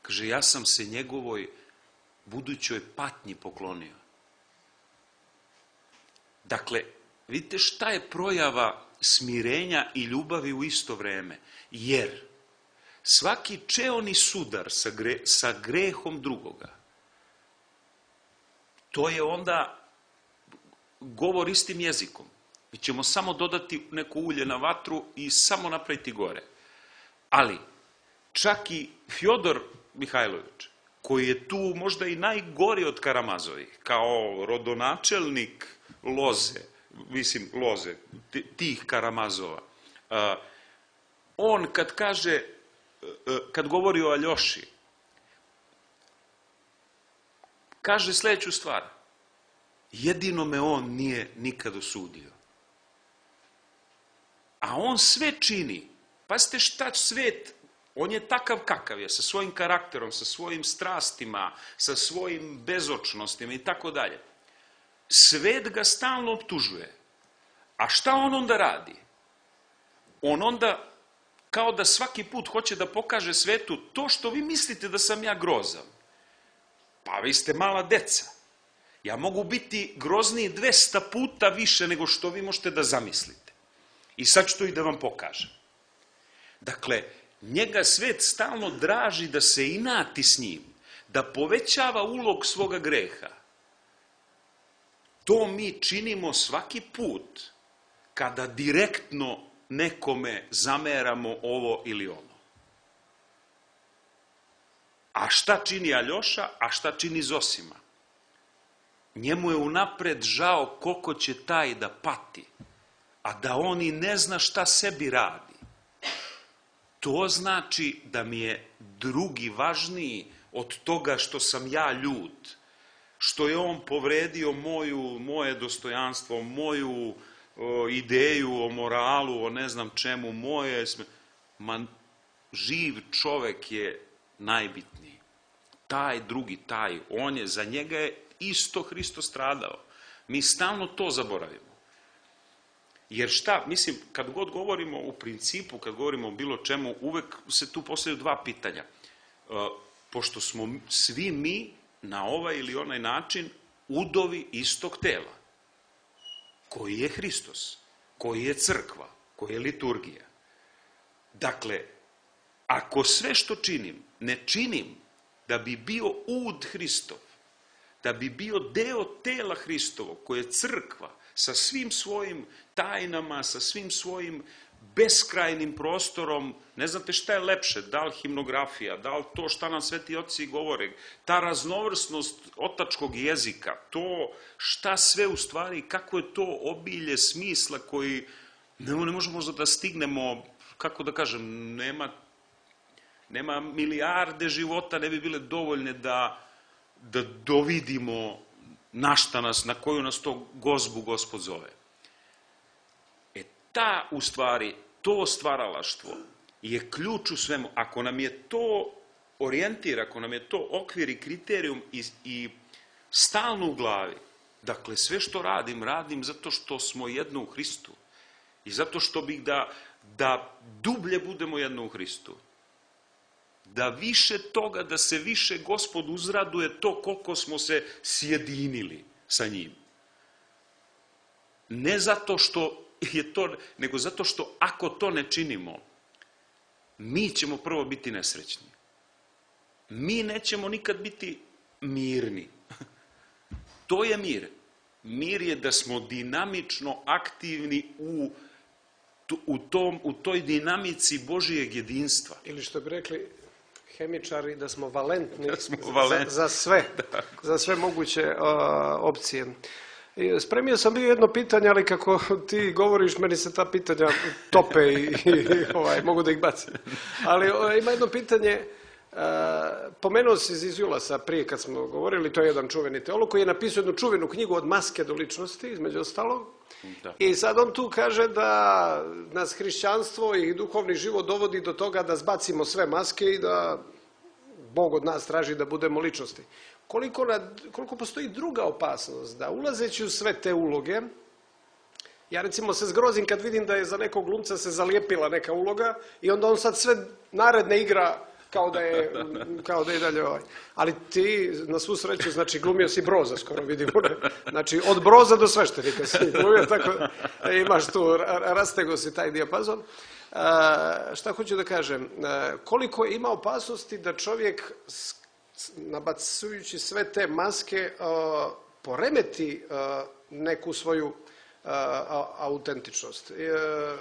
Kaže, ja sam se njegovoj budućoj patnji poklonio. Dakle, vidite šta je projava smirenja i ljubavi u isto vreme. Jer svaki čeoni sudar sa, gre, sa grehom drugoga, to je onda govor istim jezikom. Mi ćemo samo dodati neko ulje na vatru i samo napraviti gore. Ali, čak i Fjodor Mihajlović, koji je tu možda i najgori od Karamazovih, kao rodonačelnik loze, mislim loze, tih Karamazova, on kad kaže, kad govori o Aljoši, kaže sljedeću stvar. Jedino me on nije nikad osudio. A on sve čini. Pazite šta svet, on je takav kakav je, sa svojim karakterom, sa svojim strastima, sa svojim bezočnostima i tako dalje. Svet ga stalno optužuje. A šta on onda radi? On onda, kao da svaki put hoće da pokaže svetu to što vi mislite da sam ja grozan. Pa vi ste mala deca. Ja mogu biti grozniji dvesta puta više nego što vi možete da zamislite. I sad ću to i da vam pokažem. Dakle, njega svet stalno draži da se inati s njim, da povećava ulog svoga greha. To mi činimo svaki put kada direktno nekome zameramo ovo ili ono. A šta čini Aljoša, a šta čini Zosima? Njemu je unapred žao koliko će taj da pati, a da on i ne zna šta sebi radi. To znači da mi je drugi važniji od toga što sam ja ljut, što je on povredio moju, moje dostojanstvo, moju o, ideju o moralu, o ne znam čemu, moje... Man, živ čovek je najbitniji. Taj drugi, taj, on je, za njega je isto Hristo stradao. Mi stalno to zaboravimo. Jer šta, mislim, kad god govorimo u principu, kad govorimo o bilo čemu, uvek se tu postavljaju dva pitanja. E, pošto smo svi mi na ovaj ili onaj način udovi istog tela, koji je Hristos, koji je crkva, koji je liturgija. Dakle, ako sve što činim, ne činim da bi bio ud Hristov, da bi bio deo tela Hristovog, koje je crkva, sa svim svojim tajnama, sa svim svojim beskrajnim prostorom, ne znate šta je lepše, da li himnografija, da li to šta nam sveti oci govore, ta raznovrsnost otačkog jezika, to šta sve u stvari, kako je to obilje smisla koji ne, ne možemo možda da stignemo, kako da kažem, nema, nema milijarde života, ne bi bile dovoljne da, da dovidimo na šta nas, na koju nas to gozbu Gospod zove. E ta, u stvari, to stvaralaštvo je ključ u svemu. Ako nam je to orijentir, ako nam je to okvir i kriterijum i, i stalno u glavi, dakle, sve što radim, radim zato što smo jedno u Hristu i zato što bih da, da dublje budemo jedno u Hristu. Da više toga, da se više Gospod uzraduje to koliko smo se sjedinili sa njim. Ne zato što je to, nego zato što ako to ne činimo, mi ćemo prvo biti nesrećni. Mi nećemo nikad biti mirni. To je mir. Mir je da smo dinamično aktivni u, u, tom, u toj dinamici Božijeg jedinstva. Ili što bi rekli hemičari, da smo valentni, da smo valentni. Za, za sve, za sve moguće uh, opcije. I spremio sam bio jedno pitanje, ali kako ti govoriš, meni se ta pitanja tope i, i ovaj, mogu da ih bacim. Ali uh, ima jedno pitanje, uh, Pomenuo si Zizulasa prije kad smo govorili, to je jedan čuveni teolog koji je napisao jednu čuvenu knjigu Od maske do ličnosti, između ostalog. Da. I sad on tu kaže da nas hrišćanstvo i duhovni život dovodi do toga da zbacimo sve maske i da Bog od nas traži da budemo ličnosti. Koliko, nad, koliko postoji druga opasnost, da ulazeći u sve te uloge, ja recimo se zgrozim kad vidim da je za nekog glumca se zalijepila neka uloga i onda on sad sve naredne igra kao da je, kao da je dalje ovaj. Ali ti, na svu sreću, znači glumio si Broza, skoro vidimo. Znači, od Broza do sveštenika si glumio, tako da imaš tu, rastego si taj dijapazon. A, šta hoću da kažem? A, koliko ima opasnosti da čovjek, nabacujući sve te maske, a, poremeti a, neku svoju a, a, autentičnost. A,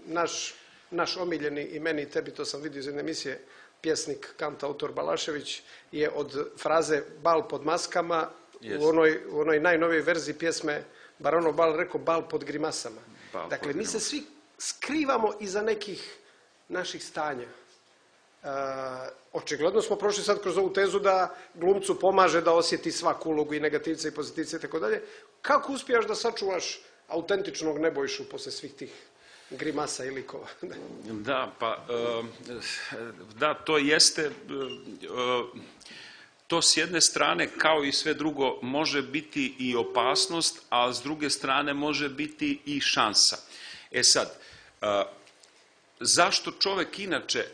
naš, naš omiljeni, i meni i tebi, to sam vidio iz jedne emisije, pjesnik, kantautor Balašević je od fraze bal pod maskama yes. u, onoj, u onoj najnovijoj verziji pjesme Baronov bal rekao bal pod grimasama. Bal dakle, pod mi se svi skrivamo iza nekih naših stanja. E, očigledno smo prošli sad kroz ovu tezu da glumcu pomaže da osjeti svaku ulogu i negativce i pozitivce i tako dalje. Kako uspijaš da sačuvaš autentičnog Nebojšu posle svih tih grimasa i likova? Da, pa, da, to jeste, to s jedne strane, kao i sve drugo, može biti i opasnost, a s druge strane može biti i šansa. E sad, zašto čovek inače,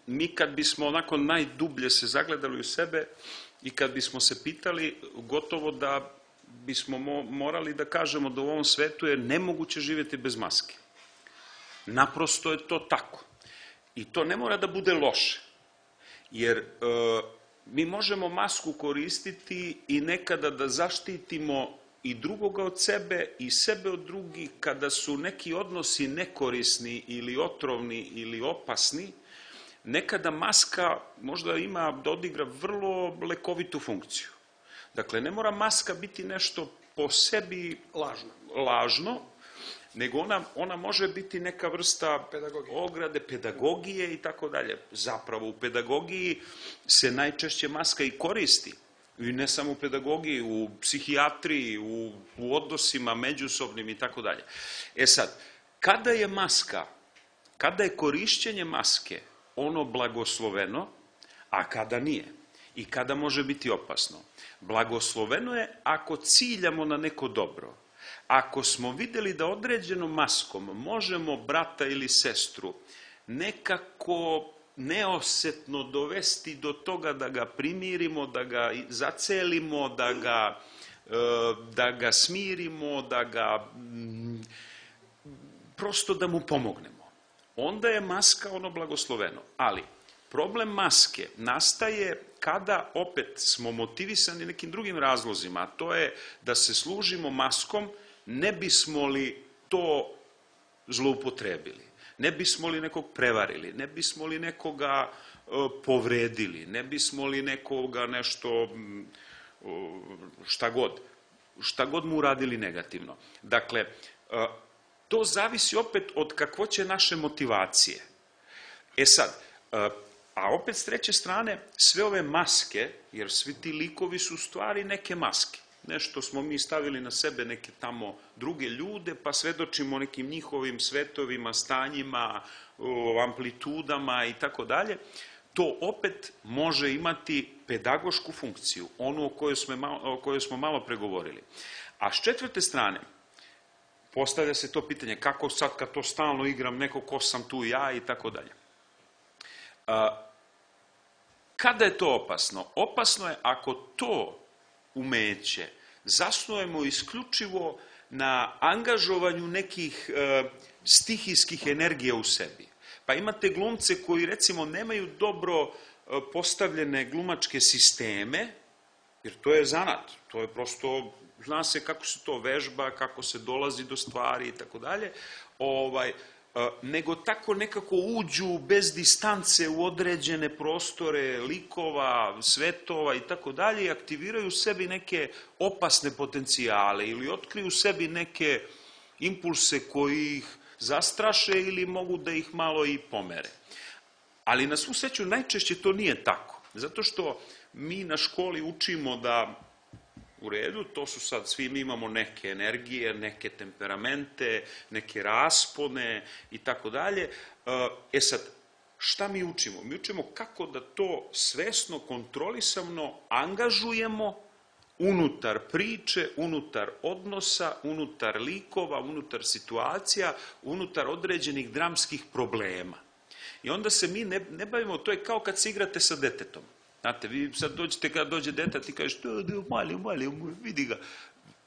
mi kad bismo onako najdublje se zagledali u sebe i kad bismo se pitali, gotovo da bismo morali da kažemo da u ovom svetu je nemoguće živjeti bez maske. Naprosto je to tako. I to ne mora da bude loše. Jer e, mi možemo masku koristiti i nekada da zaštitimo i drugoga od sebe i sebe od drugih kada su neki odnosi nekorisni ili otrovni ili opasni. Nekada maska možda ima da odigra vrlo lekovitu funkciju. Dakle, ne mora maska biti nešto po sebi lažno, lažno nego ona, ona može biti neka vrsta pedagogije. ograde, pedagogije i tako dalje. Zapravo u pedagogiji se najčešće maska i koristi. I ne samo u pedagogiji, u psihijatriji, u, u odnosima međusobnim i tako dalje. E sad, kada je maska, kada je korišćenje maske ono blagosloveno, a kada nije? I kada može biti opasno? Blagosloveno je ako ciljamo na neko dobro. Ako smo vidjeli da određenom maskom možemo brata ili sestru nekako neosetno dovesti do toga da ga primirimo, da ga zacelimo, da ga, da ga smirimo, da ga prosto da mu pomognemo, onda je maska ono blagosloveno. Ali problem maske nastaje kada opet smo motivisani nekim drugim razlozima, a to je da se služimo maskom, ne bismo li to zloupotrebili, ne bismo li nekog prevarili, ne bismo li nekoga e, povredili, ne bismo li nekoga nešto, šta god, šta god mu uradili negativno. Dakle, e, to zavisi opet od kakvoće naše motivacije. E sad, e, a opet s treće strane, sve ove maske, jer svi ti likovi su u stvari neke maske. Nešto smo mi stavili na sebe neke tamo druge ljude, pa svedočimo nekim njihovim svetovima, stanjima, amplitudama i tako dalje. To opet može imati pedagošku funkciju, onu o kojoj smo malo, o kojoj smo malo pregovorili. A s četvrte strane, postavlja se to pitanje, kako sad kad to stalno igram, neko ko sam tu ja i tako dalje. Kada je to opasno? Opasno je ako to umeće zasnujemo isključivo na angažovanju nekih e, stihijskih energija u sebi. Pa imate glumce koji recimo nemaju dobro e, postavljene glumačke sisteme, jer to je zanat, to je prosto, zna se kako se to vežba, kako se dolazi do stvari i tako dalje, ovaj, nego tako nekako uđu bez distance u određene prostore likova, svetova i tako dalje i aktiviraju u sebi neke opasne potencijale ili otkriju u sebi neke impulse koji ih zastraše ili mogu da ih malo i pomere. Ali na svu sreću najčešće to nije tako. Zato što mi na školi učimo da u redu, to su sad, svi mi imamo neke energije, neke temperamente, neke raspone i tako dalje. E sad, šta mi učimo? Mi učimo kako da to svesno, kontrolisano angažujemo unutar priče, unutar odnosa, unutar likova, unutar situacija, unutar određenih dramskih problema. I onda se mi ne, ne bavimo, to je kao kad se igrate sa detetom. Znate, vi sad dođete, kada dođe dete, ti kažeš, mali, mali, vidi ga.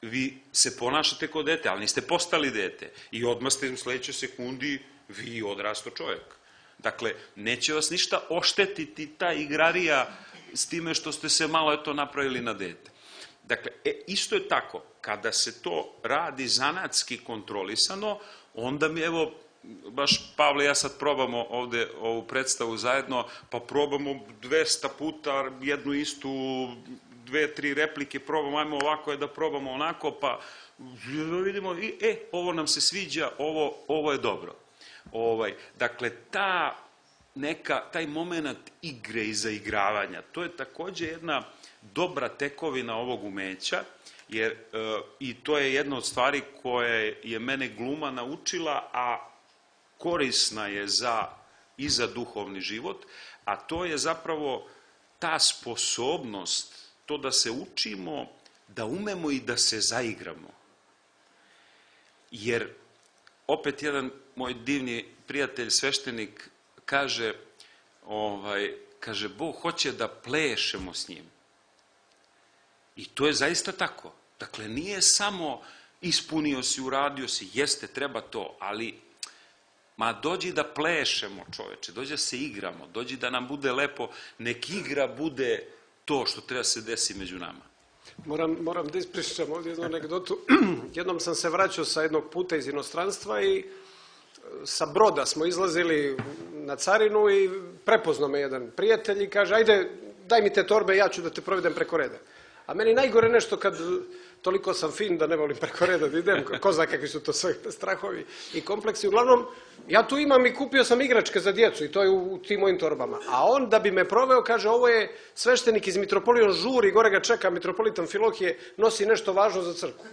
Vi se ponašate kao dete, ali niste postali dete. I odmah ste u sledećoj sekundi vi odrasto čovjek. Dakle, neće vas ništa oštetiti ta igrarija s time što ste se malo eto napravili na dete. Dakle, e, isto je tako, kada se to radi zanatski kontrolisano, onda mi evo, baš Pavle, ja sad probamo ovde ovu predstavu zajedno, pa probamo dvesta puta jednu istu, dve, tri replike, probamo, ajmo ovako je da probamo onako, pa vidimo, i, e, ovo nam se sviđa, ovo, ovo je dobro. Ovaj, dakle, ta neka, taj moment igre i zaigravanja, to je takođe jedna dobra tekovina ovog umeća, jer e, i to je jedna od stvari koje je mene gluma naučila, a korisna je za, i za duhovni život, a to je zapravo ta sposobnost, to da se učimo, da umemo i da se zaigramo. Jer, opet jedan moj divni prijatelj, sveštenik, kaže, ovaj, kaže, Bog hoće da plešemo s njim. I to je zaista tako. Dakle, nije samo ispunio si, uradio si, jeste, treba to, ali ma dođi da plešemo, čoveče, dođi da se igramo, dođi da nam bude lepo, nek igra bude to što treba se desi među nama. Moram, moram da ispričam ovdje jednu anegdotu. Jednom sam se vraćao sa jednog puta iz inostranstva i sa broda smo izlazili na carinu i prepoznao me jedan prijatelj i kaže, ajde, daj mi te torbe, ja ću da te provedem preko reda. A meni najgore nešto kad toliko sam fin da ne volim preko reda da idem, ko zna kakvi su to sve strahovi i kompleksi. Uglavnom, ja tu imam i kupio sam igračke za djecu i to je u tim mojim torbama. A on da bi me proveo, kaže, ovo je sveštenik iz mitropolije, on žuri, gore ga čeka mitropolit Amfilohije, nosi nešto važno za crkvu.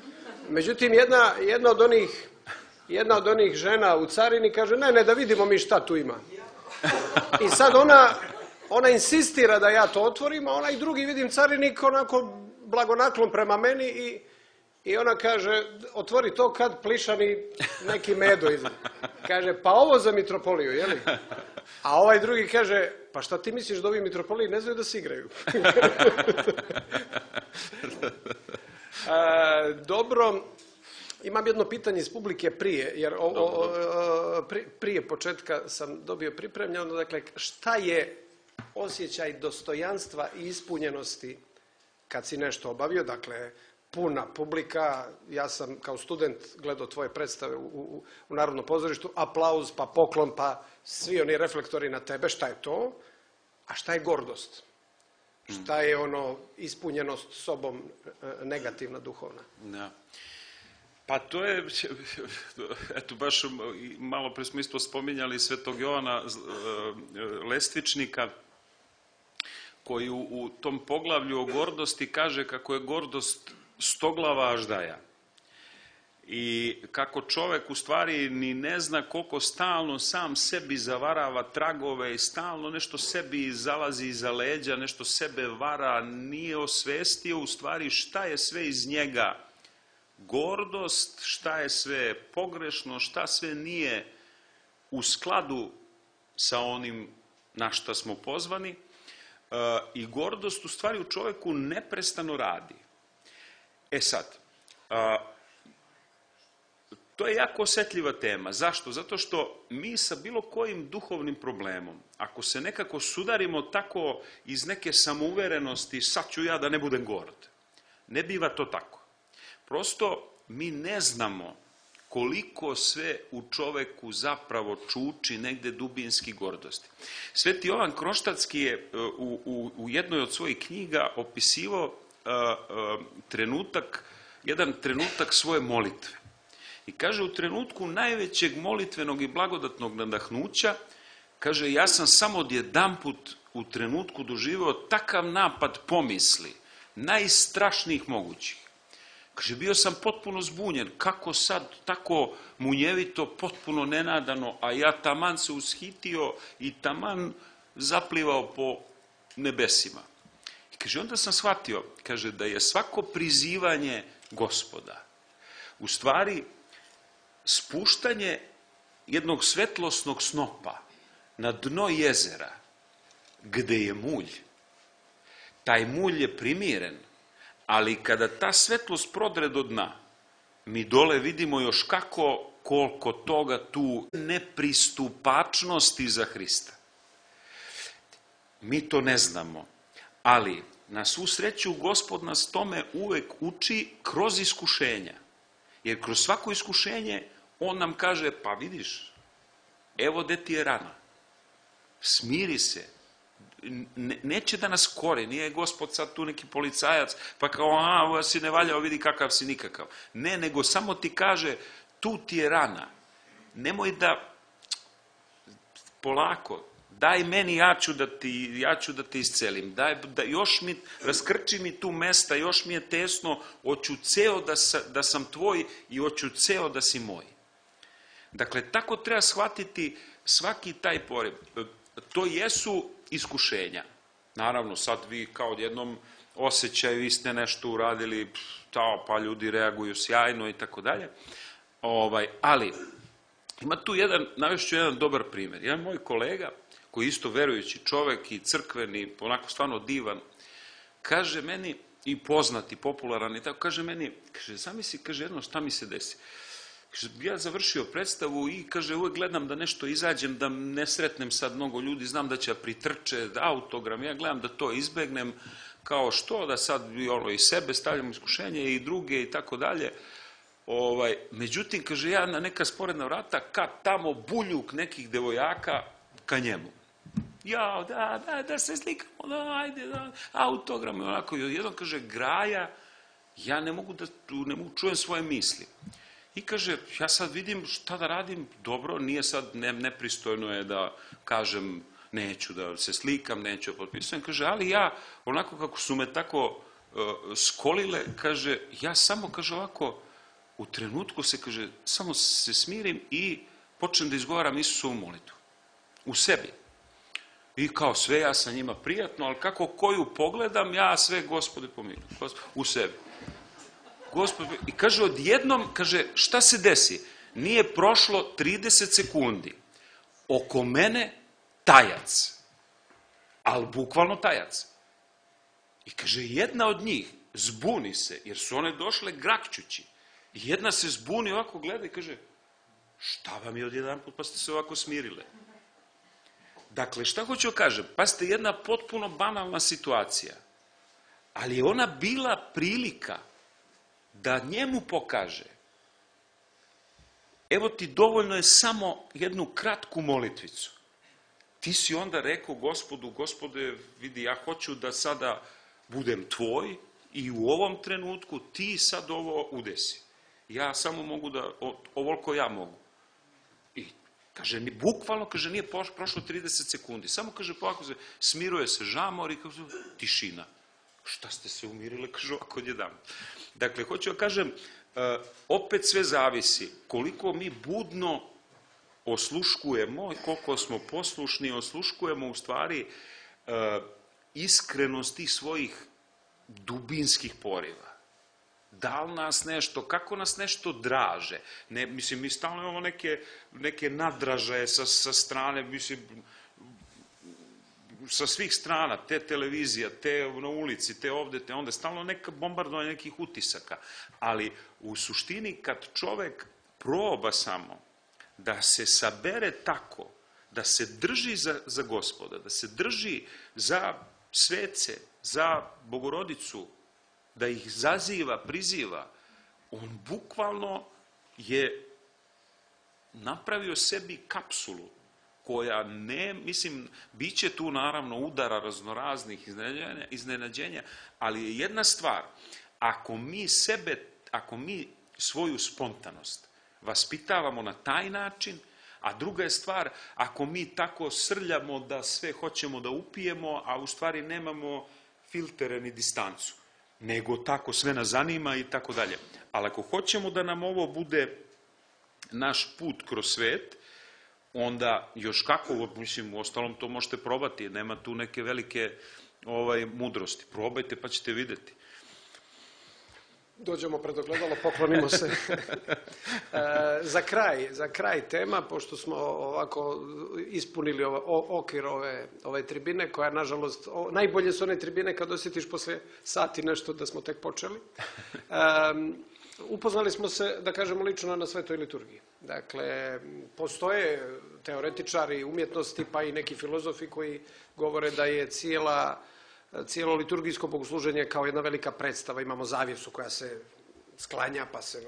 Međutim, jedna, jedna, od onih, jedna od onih žena u carini kaže, ne, ne, da vidimo mi šta tu ima. I sad ona... Ona insistira da ja to otvorim, a onaj drugi, vidim, carinik onako blagonaklon prema meni i, i ona kaže, otvori to kad plišani neki medo izgleda. Kaže, pa ovo za mitropoliju, jeli? A ovaj drugi kaže, pa šta ti misliš da ovi mitropoliji ne znaju da se igraju? A, dobro, imam jedno pitanje iz publike prije, jer o, o, o, prije početka sam dobio pripremljeno, dakle, šta je osjećaj dostojanstva i ispunjenosti kad si nešto obavio, dakle, puna publika, ja sam kao student gledao tvoje predstave u, u, u Narodnom pozorištu, aplauz, pa poklon, pa svi oni reflektori na tebe, šta je to? A šta je gordost? Šta je ono ispunjenost sobom negativna, duhovna? Da. Pa to je, eto baš malo pre smo isto spominjali Svetog Jovana Lestvičnika, koji u, u tom poglavlju o gordosti kaže kako je gordost stoglava aždaja. I kako čovek u stvari ni ne zna koliko stalno sam sebi zavarava tragove i stalno nešto sebi zalazi iza leđa, nešto sebe vara, nije osvestio u stvari šta je sve iz njega gordost, šta je sve pogrešno, šta sve nije u skladu sa onim na šta smo pozvani. I gordost u stvari u čoveku neprestano radi. E sad, to je jako osetljiva tema. Zašto? Zato što mi sa bilo kojim duhovnim problemom, ako se nekako sudarimo tako iz neke samouverenosti, sad ću ja da ne budem gord, ne biva to tako. Prosto mi ne znamo koliko sve u čoveku zapravo čuči negde dubinski gordosti. Sveti Jovan Kroštatski je u, u, u jednoj od svojih knjiga opisivao uh, uh, trenutak, jedan trenutak svoje molitve. I kaže, u trenutku najvećeg molitvenog i blagodatnog nadahnuća, kaže, ja sam samo odjedanput u trenutku doživeo takav napad pomisli, najstrašnijih mogućih. Kaže, bio sam potpuno zbunjen, kako sad tako munjevito, potpuno nenadano, a ja taman se ushitio i taman zaplivao po nebesima. I kaže, onda sam shvatio, kaže, da je svako prizivanje Gospoda u stvari spuštanje jednog svetlosnog snopa na dno jezera, gde je mulj. Taj mulj je primiren, ali kada ta svetlost prodre do dna, mi dole vidimo još kako, koliko toga tu nepristupačnosti za Hrista. Mi to ne znamo, ali na svu sreću Gospod nas tome uvek uči kroz iskušenja. Jer kroz svako iskušenje on nam kaže, pa vidiš, evo gde ti je rana, smiri se, neće da nas kori, nije Gospod sad tu neki policajac, pa kao, a, ovo si ne valjao, vidi kakav si nikakav. Ne, nego samo ti kaže, tu ti je rana, nemoj da, polako, daj meni, ja ću da ti, ja ću da te iscelim, daj, da, još mi, raskrči mi tu mesta, još mi je tesno, hoću ceo da, sa, da sam tvoj i hoću ceo da si moj. Dakle, tako treba shvatiti svaki taj poriv. To jesu iskušenja. Naravno, sad vi kao odjednom osjećaju, vi ste nešto uradili, ta, pa ljudi reaguju sjajno i tako dalje. Ali, ima tu jedan, navešću jedan dobar primjer. Jedan moj kolega, koji je isto verujući čovek i crkveni, onako stvarno divan, kaže meni, i poznati, popularan i tako, kaže meni, kaže, zamisli, kaže, jedno šta mi se desi. Kaže, ja završio predstavu i, kaže, uvek gledam da nešto izađem, da ne sretnem sad mnogo ljudi, znam da će pritrče, da autogram, ja gledam da to izbegnem, kao što, da sad ono, i sebe stavljam iskušenje i druge i tako dalje. Ovaj, međutim, kaže, ja na neka sporedna vrata, kad tamo buljuk nekih devojaka ka njemu. Ja, da, da, da se slikamo, da, ajde, da, autogram, onako, jednom, kaže, graja, ja ne mogu da, ne mogu čujem svoje misli. I kaže, ja sad vidim šta da radim, dobro, nije sad, ne, nepristojno je da kažem, neću da se slikam, neću da potpisujem, kaže, ali ja, onako kako su me tako uh, skolile, kaže, ja samo, kaže, ovako, u trenutku se, kaže, samo se smirim i počnem da izgovaram Isusovu molitvu. U sebi. I kao sve, ja sam njima prijatno, ali kako koju pogledam, ja sve, Gospode, pomiluj, u sebi. Gospod, i kaže, odjednom, kaže, šta se desi? Nije prošlo trideset sekundi. Oko mene tajac. Ali bukvalno tajac. I kaže, jedna od njih zbuni se, jer su one došle grakćući. I jedna se zbuni, ovako gleda i kaže, šta vam je odjedan put, pa ste se ovako smirile? Dakle, šta hoću da kažem? Pa ste jedna potpuno banalna situacija. Ali je ona bila prilika da njemu pokaže, evo ti dovoljno je samo jednu kratku molitvicu. Ti si onda rekao Gospodu, Gospode, vidi, ja hoću da sada budem tvoj i u ovom trenutku ti sad ovo udesi. Ja samo mogu da, ovoliko ja mogu. I kaže, bukvalno, kaže, nije prošlo trideset sekundi. Samo, kaže, polako se, smiruje se žamor i kaže, tišina. Šta ste se umirile, kaže, ovako odjedan. Dakle, hoću da kažem, opet sve zavisi koliko mi budno osluškujemo, koliko smo poslušni, osluškujemo u stvari iskrenost tih svojih dubinskih poriva. Da li nas nešto, kako nas nešto draže? Ne, mislim, mi stalno imamo neke, neke nadražaje sa, sa strane, mislim, sa svih strana, te televizija, te na ulici, te ovde, te onda, stalno neka bombardovanja nekih utisaka. Ali u suštini kad čovek proba samo da se sabere tako, da se drži za, za Gospoda, da se drži za svece, za Bogorodicu, da ih zaziva, priziva, on bukvalno je napravio sebi kapsulu koja ne, mislim, bit će tu naravno udara raznoraznih iznenađenja, iznenađenja, ali je jedna stvar, ako mi sebe, ako mi svoju spontanost vaspitavamo na taj način, a druga je stvar, ako mi tako srljamo da sve hoćemo da upijemo, a u stvari nemamo filtere ni distancu, nego tako sve nas zanima i tako dalje. Ali ako hoćemo da nam ovo bude naš put kroz svet, onda još kako, mislim, u ostalom to možete probati, nema tu neke velike ovaj, mudrosti. Probajte pa ćete vidjeti. Dođemo pred ogledalo, poklonimo se. e, za kraj, za kraj tema, pošto smo ovako ispunili ove, o, okvir ove, ove tribine, koja nažalost, o, najbolje su one tribine kad osjetiš posle sati nešto da smo tek počeli. E, upoznali smo se, da kažemo, lično na Svetoj liturgiji. Dakle, postoje teoretičari umjetnosti, pa i neki filozofi koji govore da je cijela cijelo liturgijsko bogosluženje kao jedna velika predstava. Imamo zavjesu koja se sklanja, pa se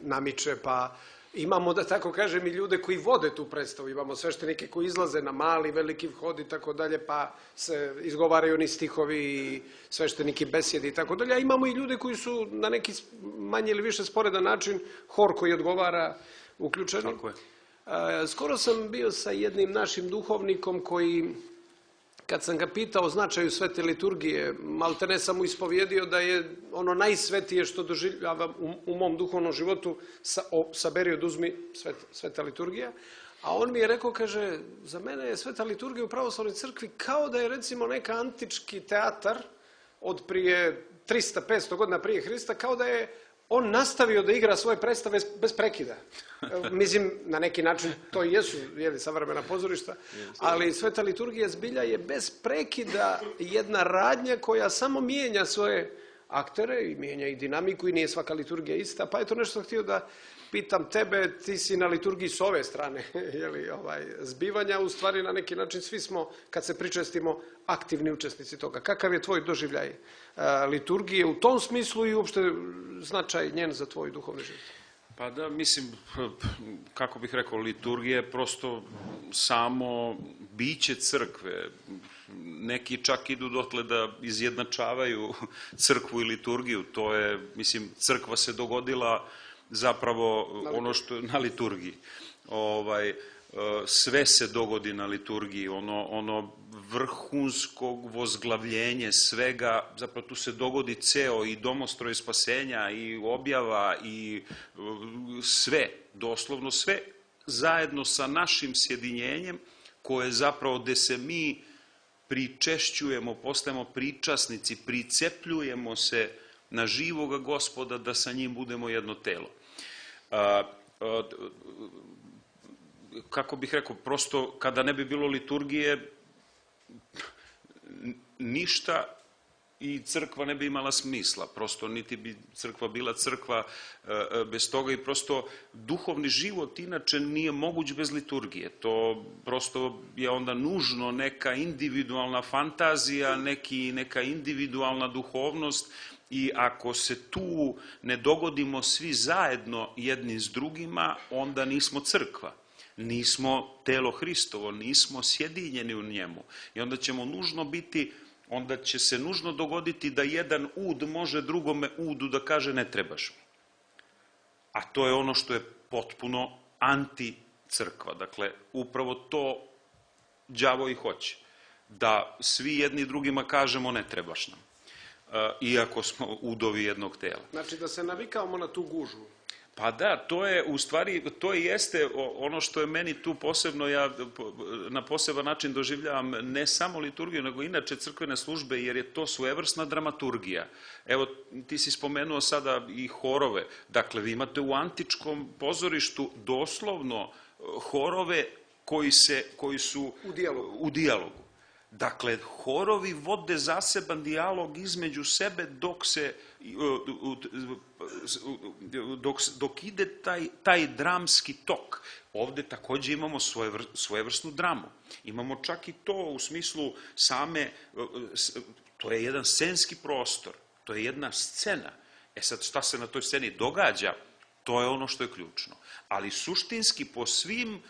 namiče, pa imamo, da tako kažem, i ljude koji vode tu predstavu. Imamo sveštenike koji izlaze na mali, veliki vhod i tako dalje, pa se izgovaraju ni stihovi i svešteniki besjedi i tako dalje. A imamo i ljude koji su na neki manje ili više sporedan način, hor koji odgovara, uključeni. Tako je. Skoro sam bio sa jednim našim duhovnikom koji, kad sam ga pitao o značaju svete liturgije, maltene sam mu ispovjedio da je ono najsvetije što doživljavam u, u mom duhovnom životu, sa, o, saberi oduzmi svet, sveta liturgija. A on mi je rekao, kaže, za mene je sveta liturgija u pravoslavnoj crkvi kao da je recimo neka antički teatar od prije trista petsto godina prije Hrista, kao da je on nastavio da igra svoje predstave bez prekida. Mislim, na neki način to i jesu jeli, savremena pozorišta, ali sveta liturgija zbilja je bez prekida jedna radnja koja samo mijenja svoje aktere i mijenja i dinamiku i nije svaka liturgija ista. Pa je to nešto htio da pitam tebe, ti si na liturgiji s ove strane jeli, ovaj, zbivanja, u stvari na neki način svi smo, kad se pričestimo, aktivni učesnici toga. Kakav je tvoj doživljaj a, liturgije u tom smislu i uopšte značaj njen za tvoj duhovni život? Pa da, mislim, kako bih rekao, liturgija je prosto samo biće crkve. Neki čak idu dotle da izjednačavaju crkvu i liturgiju. To je, mislim, crkva se dogodila zapravo ono što je na liturgiji. Ovaj, sve se dogodi na liturgiji, ono, ono vrhunskog vozglavljenje svega, zapravo tu se dogodi ceo i domostroj spasenja i objava i sve, doslovno sve, zajedno sa našim sjedinjenjem koje zapravo gde se mi pričešćujemo, postajemo pričasnici, pricepljujemo se na živoga Gospoda da sa njim budemo jedno telo. A, a, kako bih rekao, prosto kada ne bi bilo liturgije, ništa i crkva ne bi imala smisla, prosto niti bi crkva bila crkva bez toga i prosto duhovni život inače nije moguć bez liturgije. To prosto je onda nužno neka individualna fantazija, neki, neka individualna duhovnost i ako se tu ne dogodimo svi zajedno jedni s drugima, onda nismo crkva. Nismo telo Hristovo, nismo sjedinjeni u njemu. I onda ćemo nužno biti, onda će se nužno dogoditi da jedan ud može drugome udu da kaže ne trebaš mi. A to je ono što je potpuno anti-crkva. Dakle, upravo to đavo i hoće. Da svi jedni drugima kažemo ne trebaš nam. Iako smo udovi jednog tela. Znači da se navikavamo na tu gužvu. Pa da, to je u stvari, to i jeste ono što je meni tu posebno, ja na poseban način doživljavam ne samo liturgiju, nego inače crkvene službe, jer je to svojevrsna dramaturgija. Evo, ti si spomenuo sada i horove. Dakle, vi imate u antičkom pozorištu doslovno horove koji, se, koji su u dijalogu. u dijalogu. Dakle, horovi vode zaseban dijalog između sebe dok se dok, dok ide taj, taj dramski tok. Ovde takođe imamo svojevr, svojevrsnu dramu. Imamo čak i to u smislu same, to je jedan scenski prostor, to je jedna scena. E sad, šta se na toj sceni događa, to je ono što je ključno. Ali suštinski po svim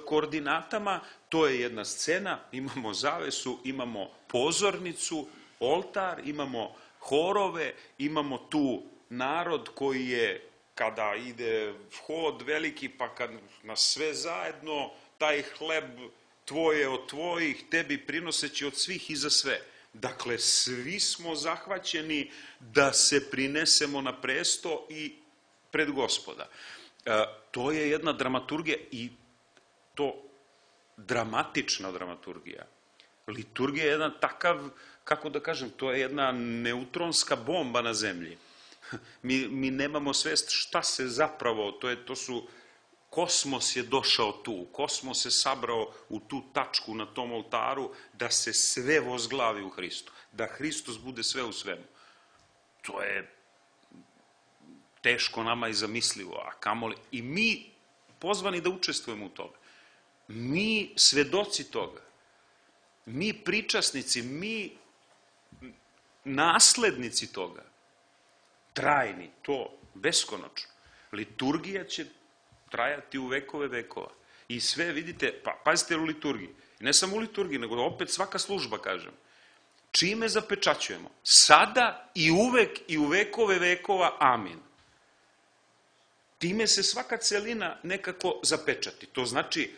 koordinatama, to je jedna scena, imamo zavesu, imamo pozornicu, oltar, imamo horove, imamo tu narod koji je kada ide hod veliki, pa kad na sve zajedno taj hleb tvoje od tvojih, tebi prinoseći od svih i za sve. Dakle, svi smo zahvaćeni da se prinesemo na presto i pred Gospoda. E, to je jedna dramaturgija i to dramatična dramaturgija. Liturgija je jedan takav, kako da kažem, to je jedna neutronska bomba na zemlji. Mi, mi nemamo svest šta se zapravo, to, je, to su, kosmos je došao tu, kosmos se sabrao u tu tačku na tom oltaru da se sve vozglavi u Hristu, da Hristos bude sve u svemu. To je teško nama i zamislivo, a kamoli, i mi pozvani da učestvujemo u tome. Mi svedoci toga, mi pričasnici, mi naslednici toga, trajni, to, beskonačno. Liturgija će trajati u vekove vekova. I sve, vidite, pa, pazite u liturgiji, ne samo u liturgiji, nego opet svaka služba, kažem, čime zapečaćujemo? Sada i uvek i u vekove vekova, amin. Time se svaka celina nekako zapečati. To znači,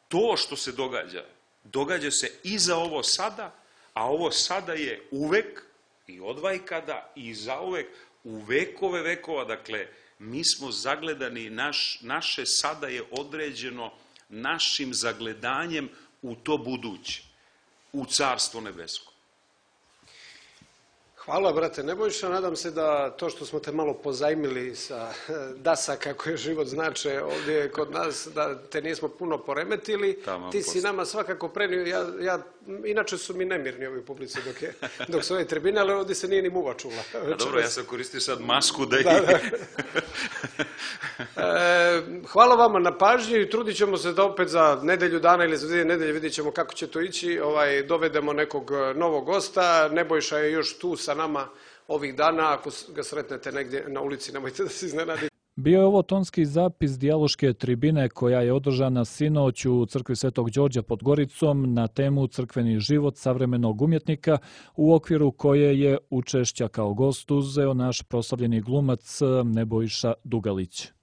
to što se događa, događa se i za ovo sada, a ovo sada je uvek i odvajkada i zauvek u vekove vekova. Dakle, mi smo zagledani, naš, naše sada je određeno našim zagledanjem u to buduće, u Carstvo nebesko. Hvala, brate Nebojša. Nadam se da to što smo te malo pozajmili sa dasa kako je život znače ovdje kod nas, da te nismo puno poremetili. Tamo Ti si posle. nama svakako prenio, ja, ja, inače su mi nemirni ovi publici dok, je, dok su ove tribine, ali ovdje se nije ni muva čula. A dobro, ja sam koristio sad masku da i... Da, da. E, hvala vama na pažnji i trudit ćemo se da opet za nedelju dana ili za dvije nedelje, vidjet ćemo kako će to ići, ovaj, dovedemo nekog novog gosta. Nebojša je još tu sa nama ovih dana, ako ga sretnete negdje na ulici, nemojte da se iznenadite. Bio je ovo tonski zapis dijaloške tribine koja je održana sinoć u crkvi Svetog Đorđa pod Goricom na temu crkveni život savremenog umjetnika, u okviru koje je učešća kao gost uzeo naš proslavljeni glumac Nebojša Dugalić.